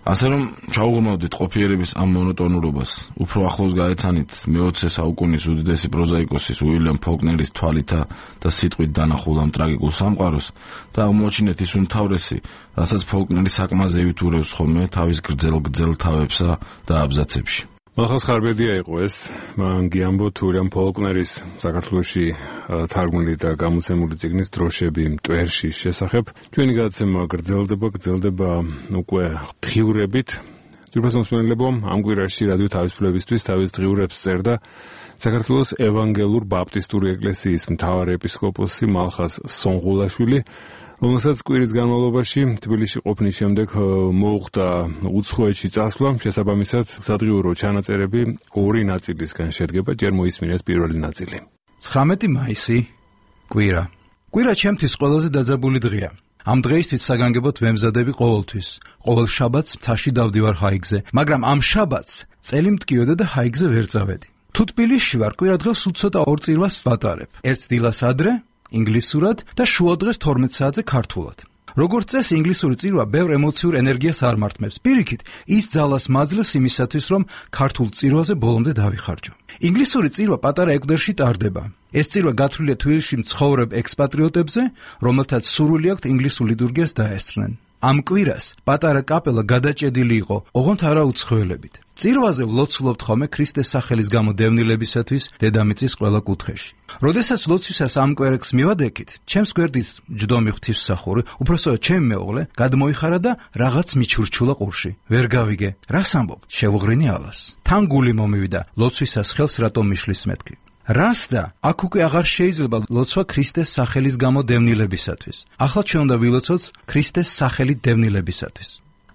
ასე რომ ჩაუღრმავდით ყოფიერების ამ მონოტონურობას, უფრო ახლოს გაეცანით მეოცე საუკუნის უდიდესი პროზაიკოსის უილიამ ფოლკნერის თვალითა და სიტყვით დანახულ ამ ტრაგიკულ სამყაროს და აღმოჩინეთ ის უმთავრესი, რასაც ფოლკნერი საკმაზევით ურევს ხოლმე თავის გრძელ-გრძელ თავებსა და აბზაცებში. მახას ხარბედია იყო ეს, მან გიამბო თურიან ფოლკნერის საქართველოში თარგმნილი და გამოცემული წიგნის დროშები მტვერში შესახებ. ჩვენი გადაცემა გრძელდება, გრძელდება უკვე დღიურებით. ძვირფას მსმენელებო, ამ კვირაში რადიო თავისუფლებისთვის თავის დღიურებს წერდა საქართველოს ევანგელურ ბაპტისტური ეკლესიის მთავარი ეპისკოპოსი მალხას სონღულაშვილი, რომელსაც კვირის განმავლობაში თბილისში ყოფნის შემდეგ მოუხდა უცხოეთში წასვლა. შესაბამისად, სადღიურო ჩანაწერები ორი ნაწილისგან შედგება. ჯერ მოისმინეთ პირველი ნაწილი. ცხრამეტი მაისი, კვირა. კვირა ჩემთვის ყველაზე დაძაბული დღეა. ამ დღეისთვის საგანგებოდ ვემზადები ყოველთვის. ყოველ შაბათს მთაში დავდივარ ჰაიგზე, მაგრამ ამ შაბათს წელი მტკიოდა და ჰაიგზე ვერ წავედი. თუ თბილისში ვარ, კვირა დღეს უცოტა ორ წირვას ვატარებ. ერთ დილას ადრე ინგლისურად და შუა დღეს თორმეტ საათზე ქართულად. როგორც წესი, ინგლისური წირვა ბევრ ემოციურ ენერგიას არ მართმევს. პირიქით, ის ძალას მაძლევს იმისათვის, რომ ქართულ წირვაზე ბოლომდე დავიხარჯო. ინგლისური წირვა პატარა ეკვდერში ტარდება. ეს წირვა გათვლილია თბილისში მცხოვრებ ექსპატრიოტებზე, რომელთაც სურვილი აქვთ ინგლისურ ლიტურგიას დაესწრნენ. ამ კვირას პატარა კაპელა გადაჭედილი იყო, ოღონდ არა უცხოელებით. წირვაზე ვლოცულობთ ხოლმე ქრისტეს სახელის გამო დევნილებისათვის დედამიწის ყველა კუთხეში. როდესაც ლოცვისას ამ კვერექს მივადექით, ჩემს გვერდით ჯდომი ღვთისმსახური, უпроსტოდ ჩემი მეუღლე გადმოიხარა და რაღაც მიჩურჩულა ყურში. ვერ გავიგე, რას ამბობ? შევღრინი ალას. თან გული მომივიდა, ლოცვისას ხელს რატომ მიშლის მეთქი. რას და აქ უკვე აღარ შეიძლება ლოცვა ქრისტეს სახელის გამო დევნილებისათვის. ახლა ჩვენ უნდა ვილოცოთ ქრისტეს სახელით დევნილებისათვის.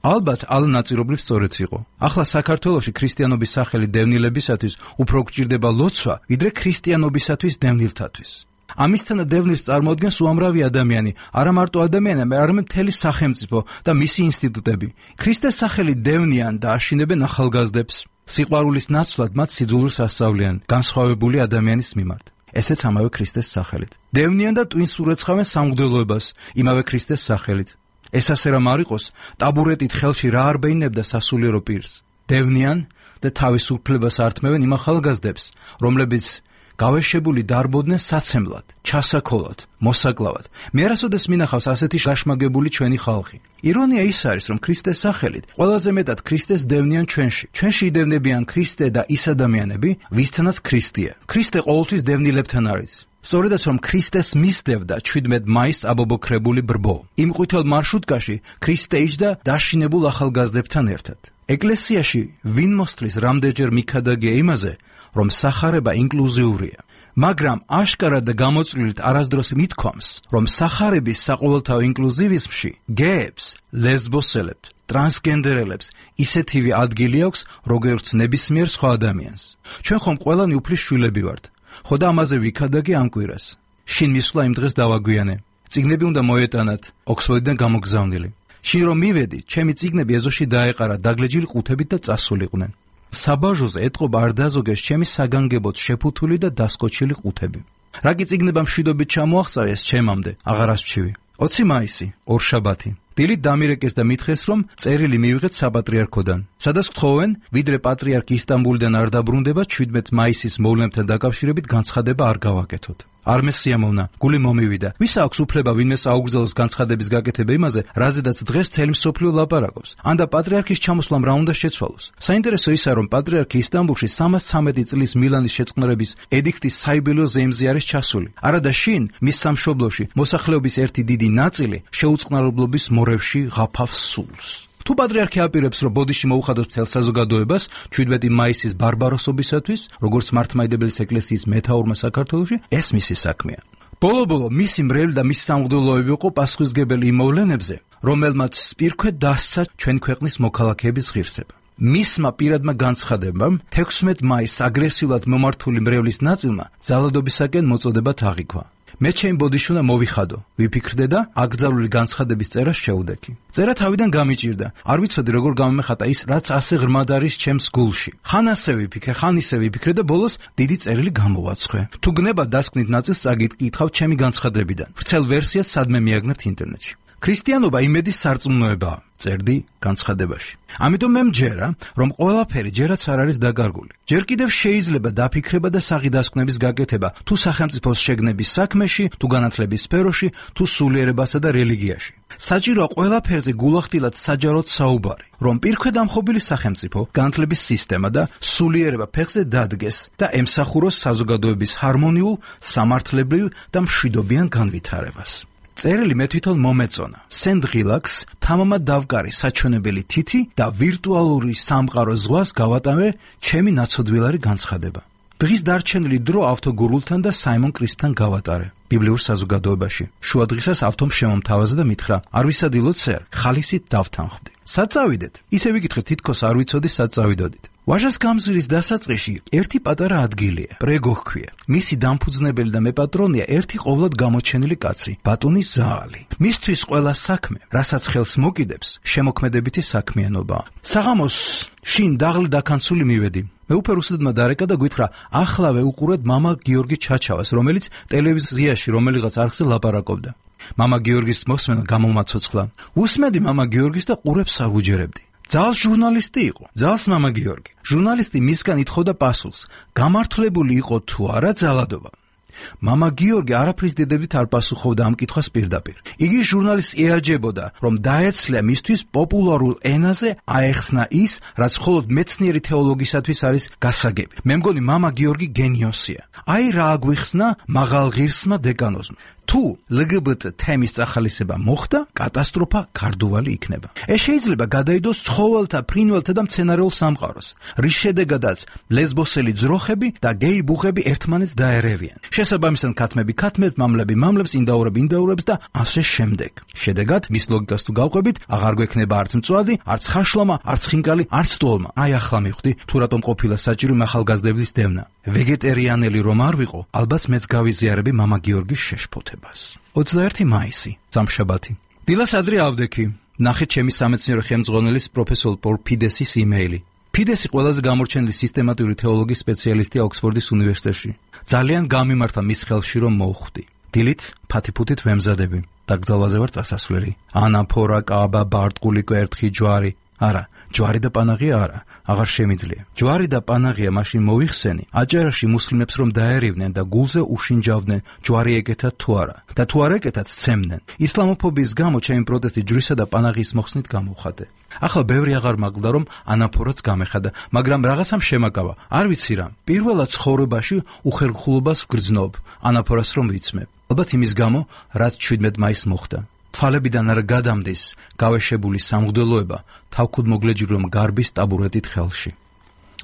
ალბათ ალნაწირობრივ სწორიც იყო. ახლა საქართველოში ქრისტიანობის სახელით დევნილებისათვის უფრო გვჭირდება ლოცვა, ვიდრე ქრისტიანობისათვის დევნილთათვის. ამისთანა დევნილს წარმოადგენს უამრავი ადამიანი, არა მარტო ადამიანები, არამედ მთელი სახელმწიფო და მისი ინსტიტუტები. ქრისტეს სახელით დევნიან და აშინებენ ახალგაზრდებს. სიყვარულის ნაცვლად მათ სიძულვილს ასწავლიან განსხვავებული ადამიანის მიმართ. ესეც ამავე ქრისტეს სახელით. დევნიან და ტვინს ურეცხავენ სამღვდელოებას იმავე ქრისტეს სახელით. ეს ასე რომ არ იყოს, ტაბურეტით ხელში რა არ ბეინებდა სასულიერო პირს. დევნიან და თავის უფლებას ართმევენ იმ ახალგაზრდებს, რომლებიც გავეშებული დარბოდნენ საცემლად, ჩასაქოლად, მოსაკლავად. მე არასოდეს მინახავს ასეთი გაშმაგებული ჩვენი ხალხი. ირონია ის არის, რომ ქრისტეს სახელით ყველაზე მეტად ქრისტეს დევნიან ჩვენში. ჩვენში იდევნებიან ქრისტე და ის ადამიანები, ვისთანაც ქრისტეა. ქრისტე ყოველთვის დევნილებთან არის. სწორედაც რომ ქრისტეს მისდევდა ჩვიდმეტ მაისს აბობოქრებული ბრბო. იმ ყვითელ მარშრუტკაში ქრისტე იჯდა დაშინებულ ახალგაზრდებთან ერთად. ეკლესიაში ვინ მოსთლის რამდენჯერ მიქადაგია იმაზე, რომ სახარება ინკლუზიურია, მაგრამ აშკარად და გამოწვლილით არასდროს მithქვამს, რომ სახარების საყოველთაო ინკლუზივიზმში გეებს, ლესბოსელებს, ტრანსგენდერელებს ისეთივე ადგილი აქვს, როგორც ნებისმიერ სხვა ადამიანს. ჩვენ ხომ ყველანი უფლის შვილები ვართ. ხო და ამაზე ვიქადაგე ამ კვირას. შინ მისვლა იმ დღეს დავაგვიანე. წიგნები უნდა მოეტანათ, ოქსფორდიდან გამოგზავნილი. შინ რომ მივედი, ჩემი წიგნები ეზოში დაეყარა დაგლეჯილი ყუთებით და წასულიყვნენ. საბაჟოზე ეთყობა არ დაზოგეს ჩემი საგანგებოდ შეფუთული და დასკოჩილი ყუთები. რა კი წიგნება მშვიდობით ჩამოაღწევეს ჩემამდე, აღარ ასჩივი. ოცი მაისი, ორშაბათი. დილით დამირეკეს და მითხეს, რომ წერილი მივიღეთ საპატრიარქოდან. სადაც გთხოვენ, ვიდრე პატრიარქი ისტანბულიდან არ დაბრუნდება, ჩვიდმეტ მაისის მოვლენებთან დაკავშირებით განცხადება არ გავაკეთოთ. არ მესიამოვნა, გული მომივიდა. ვის აქვს უფლება ვინმეს აუგზავნოს განცხადების გაკეთება იმაზე, რაზედაც დღეს მთელი მსოფლიო ლაპარაკობს. ანდა პატრიარქის ჩამოსვლამ რა უნდა შეცვალოს? საინტერესო ისაა, რომ პატრიარქი ისტანბულში სამას ცამეტი წლის მილანის შეწყნარების ედიქტის საიუბილეო ზეიმზე არის ჩასული. არადა შინ მის სამშობლოში მოსახლეობის ერთი დიდი ნაწილი შეუწყნარებლობის მორევში ღაფავს სულს. თუ პატრიარქი აპირებს, რომ ბოდიში მოუხადოს მთელ საზოგადოებას ჩვიდმეტი მაისის ბარბაროსობისათვის, როგორც მართლმადიდებლის ეკლესიის მეთაურმა საქართველოში, ეს მისი საქმეა. ბოლო-ბოლო მისი მრევლი და მისი სამღვდელოები იყო პასუხისმგებელი იმ მოვლენებზე, რომელმაც სპირქვე დასცა ჩვენ ქვეყნის მოქალაქეების ღირსება. მისმა პირადმა განცხადებამ თექვსმეტ მაისს აგრესიულად მომართული მრევლის ნაწილმა ძალადობისაკენ მოწოდება აღიქვა. მე ჩემი ბოდიში უნდა მოვიხადო, ვიფიქრდე და აკრძალული განცხადების წერას შეუდექი. წერა თავიდან გამიჭირდა. არ ვიცოდი როგორ გამომეხატა ის, რაც ასე ღრმად არის ჩემს გულში. ხან ასე ვიფიქრე, ხან ისე ვიფიქრე და ბოლოს დიდი წერილი გამოვაცხვე. თუ გნება დასკვნით ნაწილს წაგიკითხავ ჩემი განცხადებიდან. ვრცელ ვერსიას სადმე მიაგნებთ ინტერნეტში. ქრისტიანობა იმედის სარწმუნოებაა, წერდი განცხადებაში. ამიტომ მე მჯერა, რომ ყველაფერი ჯერაც არ არის დაკარგული. ჯერ კიდევ შეიძლება დაფიქრება და საღიდასკვნების გაკეთება თუ სახელმწიფოს შეგნების საქმეში, თუ განათლების სფეროში, თუ სულიერებასა და რელიგიაში. საჭიროა ყველაფერზე გულახდილად საჯაროდ საუბარი, რომ პირქვედამხობილი სახელმწიფო, განათლების სისტემა და სულიერება ფეხზე დადგეს და ემსახუროს საზოგადოების ჰარმონიულ, სამართლებრივ და მშვიდობიან განვითარებას. წერილი მე თვითონ მომეწონა. სენდღილაკს თამამად დავკარი საჩვენებელი თითი და ვირტუალური სამყარო ზღვას გავატანე ჩემი ნაცოდვილარი განცხადება. დღის დარჩენილი დრო ავთოგურულთან და საიმონ კრისტთან გავატარე. ბიბლიურ საზოგადოებაში. შუა დღისას ავთომ შემომთავაზა და მითხრა: არ ვისადილოთ სერ, ხალისით დავთანხმდი. სად წავიდეთ? ისე ვიკითხე, თითქოს არ ვიცოდი სად წავიდოდით. ვაჟას გამზირის დასაწყისში ერთი პატარა ადგილია, პრეგო ჰქვია. მისი დამფუძნებელი და მეპატრონია ერთი ყოვლად გამოჩენილი კაცი, ბატონი ზაალი. მისთვის ყველა საქმე, რასაც ხელს მოკიდებს, შემოქმედებითი საქმიანობაა. საღამოს შინ დაღლი დაქანცული მივედი. მე უფრო უსადმა დარეკა და გვითხრა: ახლავე უყურეთ მამა გიორგი ჩაჩავას, რომელიც ტელევიზიაში რომელიღაც არხზე ლაპარაკობდა. მამა გიორგის მოსმენა გამომაცოცხლა. უსმედი მამა გიორგის და ყურებს არ ვუჯერებდი. ძალს ჟურნალისტი იყო, ძალს მამა გიორგი. ჟურნალისტი მისგან ითხოვდა პასუხს, გამართლებული იყო თუ არა ძალადობა. მამა გიორგი არაფრის დედებით არ პასუხობდა ამ კითხვას პირდაპირ. იგი ჟურნალისტს ეაჯებოდა, რომ დაეცლია მისთვის პოპულარულ ენაზე აეხსნა ის, რაც მხოლოდ მეცნიერი თეოლოგისათვის არის გასაგები. მე მგონი მამა გიორგი გენიოსია. აი რა აგვიხსნა მაღალ ღირსმა დეკანოზმა. თუ ლგბტ თემის წახალისება მოხდა, კატასტროფა გარდუვალი იქნება. ეს შეიძლება გადაიდოს ცხოველთა, ფრინველთა და მცენარეულ სამყაროს, რის შედეგადაც ლესბოსელი ძროხები და გეი ბუღები ერთმანეთს დაერევიან. შესაბამისად ქათმები ქათმებს, მამლები მამლებს, ინდაურები ინდაურებს და ასე შემდეგ. შედეგად მის ლოგიკას თუ გავყვებით, აღარ გვექნება არც მწვადი, არც ხაშლომა, არც ხინკალი, არც ტოლმა. აი ახლა მივხვდი, თუ რატომ ყოფილა საჭირო ახალგაზრდების დევნა. ვეგეტერიანელი რომ არ ვიყო, ალბათ მეც გავიზიარები მამა გიორგის შეშფოთებას. ოცდაერთი მაისი, სამშაბათი. დილას ადრე ავდექი. ნახეთ ჩემი სამეცნიერო ხელმძღვანელის პროფესორ პოლ ფიდესის იმეილი. ფიდესი ყველაზე გამორჩენილი სისტემატიური თეოლოგიის სპეციალისტია ოქსფორდის უნივერსიტეტში. ძალიან გამიმართა მის ხელში რომ მოვხვდი. დილით ფათიფუთით ვემზადები. დაკრძალვაზე ვარ წასასვლელი. ანაფორა, კაბა, ბარტყული კვერთხი, ჯვარი. არა, ჯვარი და პანაღია არა, აღარ შემიძლია. ჯვარი და პანაღია მაშინ მოიხსენი, აჭარაში მუსლიმებს რომ დაერივნენ და გულზე უშინჯავდნენ, ჯვარი ეკეთათ თუ არა. და თუ არ ეკეთათ, სცემდნენ. ისლამოფობიის გამო ჩემი პროტესტი ჯვრისა და პანაღის მოხსნით გამოვხატე. ახლა ბევრი აღარ მაგლდა რომ ანაფორაც გამეხადა, მაგრამ რაღაცამ შემაკავა. არ ვიცი რა. პირველად ცხოვრებაში უხერხულობას ვგრძნობ, ანაფორას რომ ვიცმებ. ალბათ იმის გამო, რაც შვიდმეტ მაისს მოხდა. თვალებიდან არ გადამდის გავეშებული სამღვდელოება, თავქუდ მოგლეჯი რომ გარბის ტაბურეტით ხელში.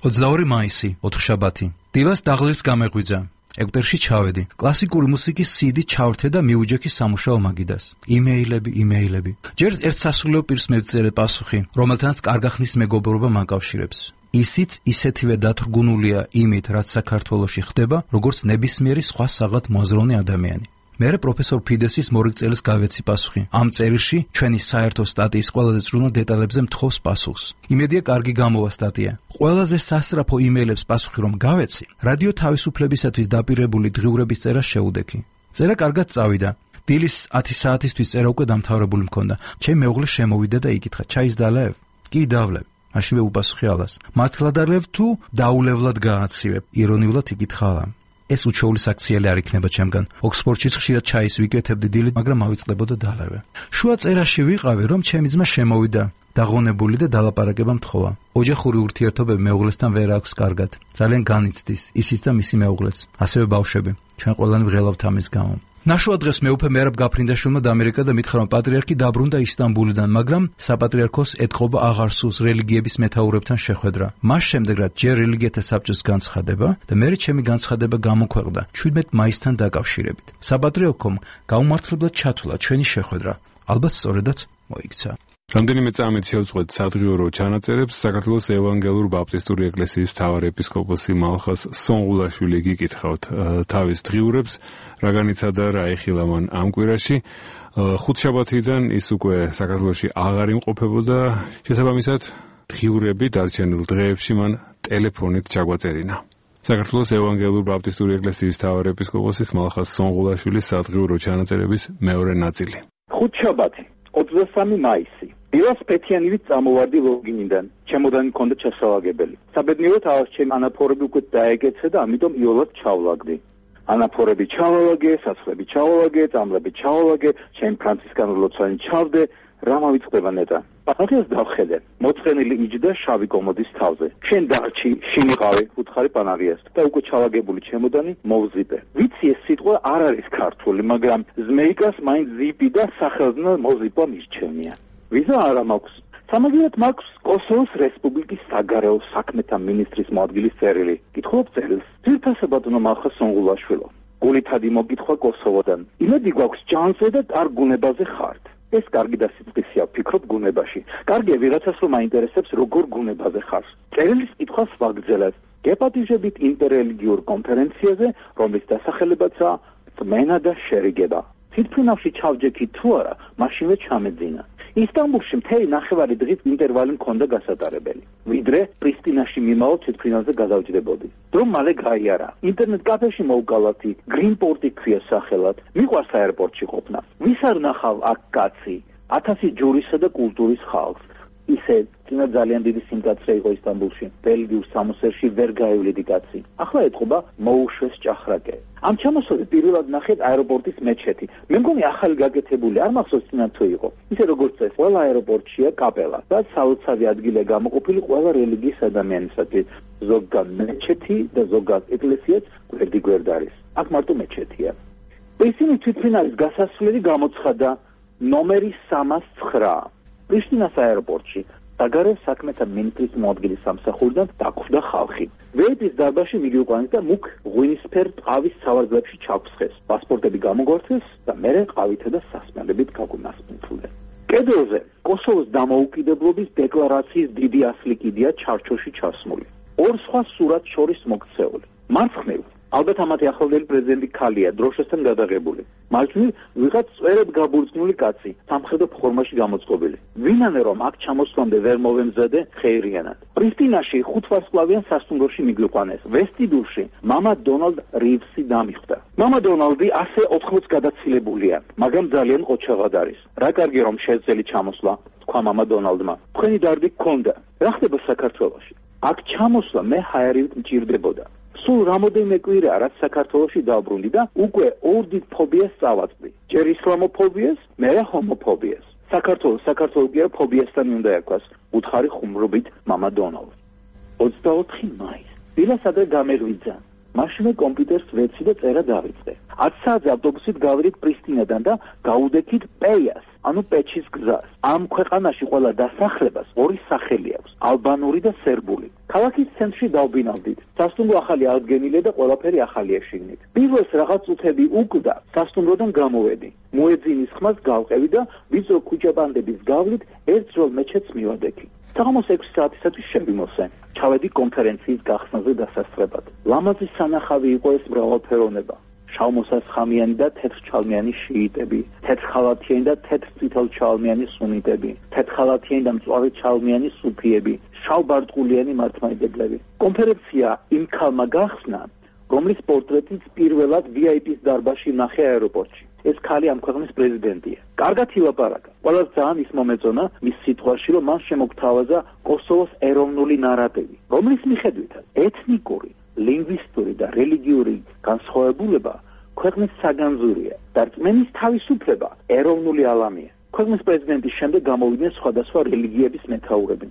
ოცდაორი მაისი, ოთხშაბათი. დილას დაღლის გამეღვიძა. ეგვტერში ჩავედი. კლასიკური მუსიკის სიდი ჩავრთე და მიუჯექი სამუშაო მაგიდას. იმეილები, იმეილები. ჯერ ერთ სასულიერო პირს მევწერე პასუხი, რომელთანაც კარგახნის მეგობრობა მაკავშირებს. ისიც ისეთივე დათრგუნულია იმით, რაც საქართველოში ხდება, როგორც ნებისმიერი სხვა საღად მოაზროვნე ადამიანი. მერე პროფესორ ფიდესის მორიგწელის გავეცი პასუხი. ამ წერილში ჩვენი საერთო სტატიის ყველაზე წვრილ დეტალებზე მთხოვს პასუხს. იმედია კარგი გამოვა სტატია. ყველაზე სასწრაფო იმეილებს პასუხი რომ გავეცი, რადიო თავისუფლებისათვის დაპირებული დღიურების წერას შეუდექი. წერა კარგად წავიდა. დილის ათი საათისთვის წერა უკვე დამთავრებული მქონდა. ჩემი მეუღლე შემოვიდა და იკითხა: ჩაის დალევ? კი, დავლევ. მაშინვე უპასუხე ალას. მართლა დალევ თუ დაულევლად გააცივებ? ირონიულად იკითხა ალა. ეს უჩვეული საქციელი არ იქნება ჩემგან. ოქსფორდშიც ხშირად ჩაის ვიკეთებდი დილით, მაგრამ ავიწყდებოდა დალევე. შუა წერაში ვიყავი, რომ ჩემი ძმა შემოვიდა, დაღონებული და დალაპარაკება მთხოვა. ოჯახური ურთიერთობები მეუღლესთან ვერ აქვს კარგად. ძალიან განიცდის ისიც და მისი მეუღლეს. ასევე ბავშვები. ჩვენ ყველანი ვღელავთ ამის გამო. ნაშუა დღეს მეუფე მერაბ გაფრინდაშვილმა დაამერიკა და მითხრა, რომ პატრიარქი დაბრუნდა ისტანბულიდან, მაგრამ საპატრიარქოს ეთყობა აღარ სურს რელიგიების მეთაურებთან შეხვედრა. მას შემდეგ რაც ჯერ რელიგიათა საბჭოს განცხადება და მერე ჩემი განცხადება გამოქვეყნდა შვიდმეტ მაისთან დაკავშირებით. საპატრიარქომ გაუმართლებლად ჩათვლა ჩვენი შეხვედრა. ალბათ სწორედაც მოიქცა. რამდენიმე წამით შევწყვეტ სადღიურო ჩანაწერებს საქართველოს ევანგელურ ბაპტისტური ეკლესიის მთავარი ეპისკოპოსი მალხას სონღულაშვილი გიკითხავთ თავის დღიურებს, რა განიცადა რა ეხილა მან ამ კვირაში. ხუთშაბათიდან ის უკვე საქართველოში აღარ იმყოფებოდა, შესაბამისად დღიურები დარჩენილ დღეებში მან ტელეფონით ჩაგვაწერინა. საქართველოს ევანგელურ ბაპტისტური ეკლესიის მთავარი ეპისკოპოსის მალხას სონღულაშვილის სადღიურო ჩანაწერების მეორე ნაწილი. ხუთშაბათი ოცდასამი მაისი. დილას ფეთიანივით წამოვარდი ლოგინიდან. ჩემოდანი მქონდა ჩასალაგებელი. საბედნიეროდ ავას ჩემი ანაფორები უკვე დაეგეცე და ამიტომ იოლად ჩავლაგდი. ანაფორები ჩავალაგე, საცვლები ჩავალაგე, წამლები ჩავალაგე, ჩემ ფრანცისკანურ ლოცვანი ჩავდე, რა მოვიწყდება ნეტა. პანახეს დავხედე. მოწყენილი იჯდა შავი კომოდის თავზე. შენ დარჩი, შინიყავი, უთხარი პანაღიას და უკვე ჩავაგებული ჩემოდანი მოვზიპე. ვიცი ეს სიტყვა არ არის ქართული, მაგრამ ზმეიკას მაინც ზიპი და სახელზნა მოზიპვა მირჩენია. ვიზა არა მაქვს. სამაგიეროდ მაქვს კოსოვოს რესპუბლიკის საგარეო საქმეთა მინისტრის მოადგილის წერილი. გითხობ წერილს. ძირფასებადნო მახა სონგულაშვილო. გულითადი მოგითხვა კოსოვოდან. იმედი გვაქვს ჯანზე და კარგ გუნებაზე ხართ. ეს კარგი დასიწყისია, ვფიქრობ გუნებაში. კარგია ვიღაცას რომ აინტერესებს როგორ გუნებაზე ხარ. წერილის კითხვას ვაგრძელებ. გეპატიჟებით ინტერრელიგიურ კონფერენციაზე, რომლის დასახელებაცაა წმენა და შერიგება. თვითფრინავში ჩავჯექი თუ არა, მაშინვე ჩამეძინა. ისტანბულში მთელი ნახევარი დღის ინტერვალი მქონდა გასატარებელი. ვიდრე პრისტინაში მიმავალ თვითფრინავზე გადავჯდებოდი. დრო მალე გაიარა. ინტერნეტ კაფეში მოვგალათი, გრინპორტი ქვია სახელად. მიყვარს აეროპორტში ყოფნა. ვის არ ნახავ აქ კაცი? ათასი ჯურისა და კულტურის ხალხს. ისე წინა ძალიან დიდი სიმკაცრე იყო ისტანბულში. ბელგიურ სამოსერში ვერ გაივლიდი კაცი. ახლა ეთყობა მოუშვეს ჭახრაკე. ამ ჩამოსვლაზე პირველად ნახეთ აეროპორტის მეჩეთი. მე მგონი ახალი გაკეთებული, არ მახსოვს წინა თუ იყო. ისე როგორც წეს, ყველა აეროპორტშია კაპელა და საოცარი ადგილი გამოყოფილი ყველა რელიგიის ადამიანისათვის. ზოგად მეჩეთი და ზოგად ეკლესიაც გვერდიგვერდ არის. აქ მარტო მეჩეთია. პრისტინის თვითმფრინავის გასასვლელი გამოცხადა ნომერი სამას ცხრა. პრიშტინას აეროპორტში საგარეო საქმეთა მინისტრის მოადგილის სამსახურიდან დაგვხვდა ხალხი. ვეიპის დარბაზში მიგიყვანეს და მუქ ღვინისფერ ტყავის სავარძლებში ჩაგვსხეს. პასპორტები გამოგვართეს და მერე ყავითა და სასმელებით გაგვიმასპინძლეს. კედელზე კოსოვოს დამოუკიდებლობის დეკლარაციის დიდი ასლი კიდია ჩარჩოში ჩასმული. ორ სხვა სურათს შორის მოქცეული. მარცხნივ ალბათ ამათი ახლანდელი პრეზიდენტი ქალია, დროშასთან გადაღებული. მარჯვნივ ვიღაც წვერად გაბურწნული კაცი, სამხედრო ფორმაში გამოწყობილი. ვინანე რომ აქ ჩამოსვლამდე ვერ მოვემზადე ხეირიანად. პრისტინაში ხუთვარსკვლავიან სასტუმროში მიგვიყვანეს. ვესტიბიულში მამა დონალდ რივსი დამიხვდა. მამა დონალდი ასე ოთხმოც გადაცილებულია, მაგრამ ძალიან ყოჩაღად არის. რა კარგი რომ შეძლელი ჩამოსვლა, თქვა მამა დონალდმა. თქვენი დარდი გქონდა. რა ხდება საქართველოში? აქ ჩამოსვლა მე ჰაერივით მჭირდებოდა. სულ რამოდენიმე კვირაა, რაც საქართველოში დავბრუნდი და უკვე ორ დიდ ფობიას წავაწყდი. ჯერ ისლამოფობიას, მერე ჰომოფობიას. საქართველოს საქართველოს კი არა ფობიასთან უნდა ერქვას, უთხარი ხუმრობით მამა დონალდ. ოცდაოთხი მაისი. დილას ადრე გამეღვიძა. მაშინვე კომპიუტერს ვეცი და წერა დავიწყე. ათ საათზე ავტობუსით გავიდით პრისტინადან და გავუდექით პეიას, ანუ პეჩის გზას. ამ ქვეყანაში ყველა დასახლებას ორი სახელი აქვს, ალბანური და სერბული. ქალაქის ცენტრში დავბინავდით. სასტუმრო ახალი აღდგენილია და ყველაფერი ახალია შიგნით. პირველს რაღაც წუთები უკვდა, სასტუმროდან გამოვედი. მოეძინის ხმას გავყევი და ვიწრო ქუჩაბანდების გავლით ერთ ძველ მეჩეთს მივადექი. საღამოს ექვსი საათისათვის შევიმოსე. ჩავედი კონფერენციის გახსნაზე დასასწრებად. ლამაზი სანახავი იყო ეს მრავალფეროვნება. შავმოსასხამიანი და თეთრჩალმიანი შიიტები, თეთრხალათიანი და თეთრწითელჩალმიანი სუნიტები, თეთრხალათიანი და მწვავეჩალმიანი სუფიები, შავბარტყულიანი მართლმადიდებლები. კონფერენცია იმ ქალმა გახსნა, რომლის პორტრეტიც პირველად ვი აი პის დარბაზში ნახე აეროპორტში. ეს ქალი ამ ქვეყნის პრეზიდენტია. კარგად ილაპარაკა. ყველას ძალიან ის მომეწონა მის სიტყვაში, რომ მან შემოგთავაზა კოსოვოს ეროვნული ნარატივი, რომლის მიხედვითაც ეთნიკური, ლინგვისტური და რელიგიური განსხვავებულება ქვეყნის საგანძურია და რწმენის თავისუფლება ეროვნული ალამია. ქვეყნის პრეზიდენტის შემდეგ გამოვიდნენ სხვადასხვა რელიგიების მეთაურები.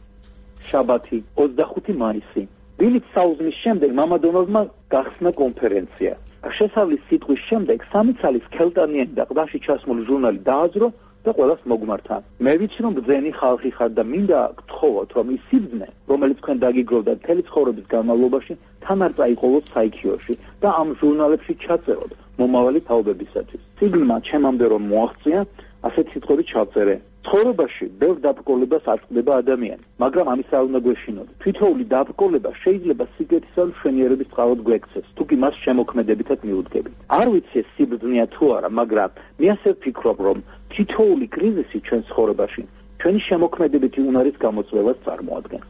შაბათი, ოცდახუთი მაისი. დილით საუზმის შემდეგ მამა დონალდმა გახსნა კონფერენცია. შესავლის სიტყვის შემდეგ სამი ცალის ქელტანიანი და ყდაში ჩასმული ჟურნალი დააძრო და ყველას მოგმართა. მე ვიცი რომ ბრძენი ხალხი ხარ და მინდა გთხოვოთ რომ ის სიბრძნე, რომელიც თქვენ დაგიგროვდა მთელი ცხოვრების განმავლობაში, თან არ წაიყოლოთ საიქიოში და ამ ჟურნალებში ჩაწეროთ მომავალი თაობებისათვის. სიგნმა ჩემამდე რომ მოაღწია, ასეთ სიტყვები ჩავწერე. ცხოვრებაში ბევრ დაბრკოლებას აწყდება ადამიანი, მაგრამ ამის არ უნდა გვეშინოთ. თითოეული დაბრკოლება შეიძლება სიკეთისა და მშვენიერების წყალად გვექცეს, თუ კი მას შემოქმედებითად მიუდგებით. არ ვიცი ეს სიბრძნეა თუ არა, მაგრამ მე ასე ვფიქრობ, რომ თითოეული კრიზისი ჩვენ ცხოვრებაში ჩვენი შემოქმედებითი უნარის გამოწვევას წარმოადგენს.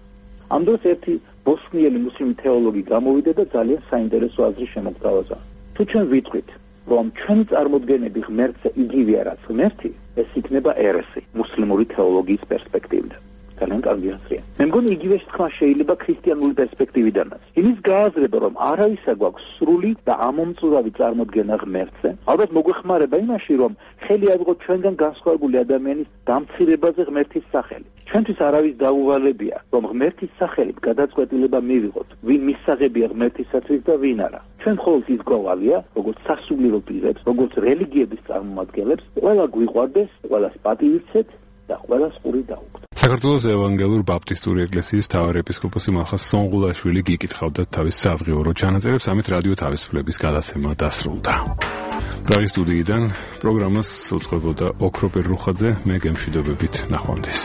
ამ დროს ერთი ბოსნიელი მუსლიმი თეოლოგი გამოვიდა და ძალიან საინტერესო აზრი შემოგთავაზა. თუ ჩვენ ვიტყვით, რომ ჩვენი წარმოდგენები ღმერთზე იგივეა რაც ღმერთი, ეს იქნება ერესი მუსლიმური თეოლოგიის პერსპექტივიდან. ძალიან კარგი აზრია. მე მგონი იგივე თქმა შეიძლება ქრისტიანული პერსპექტივიდანაც. იმის გააზრება, რომ არავისა გვაქვს სრული და ამომწურავი წარმოდგენა ღმერთზე, ალბათ მოგვეხმარება იმაში, რომ ხელი აიღოთ ჩვენგან განსხვავებული ადამიანის დამცირებაზე ღმერთის სახელი. ჩვენთვის არავის დაუვალებია, რომ ღმერთის სახელით გადაწყვეტილება მივიღოთ, ვინ მისაღებია ღმერთისათვის და ვინ არა. ჩვენ მხოლოდ ის გვავალია, როგორც სასულიერო პირებს, როგორც რელიგიების წარმომადგენლებს, ყველა გვიყვარდეს, ყველას პატივიცეთ და ყველას ყური დაუგდოთ. საქართველოს ევანგელურ ბაპტისტური ეკლესიის მთავარი ეპისკოპოსი მალხაზ სონღულაშვილი გიკითხავდა თავის სადღეურო ჩანაწერებს, ამით რადიო თავისუფლების გადაცემა დასრულდა. პრაღის სტუდიიდან პროგრამას უწყებოდა ოქროპერ რუხაძე, მე გემშვიდობებით ნახვამდის.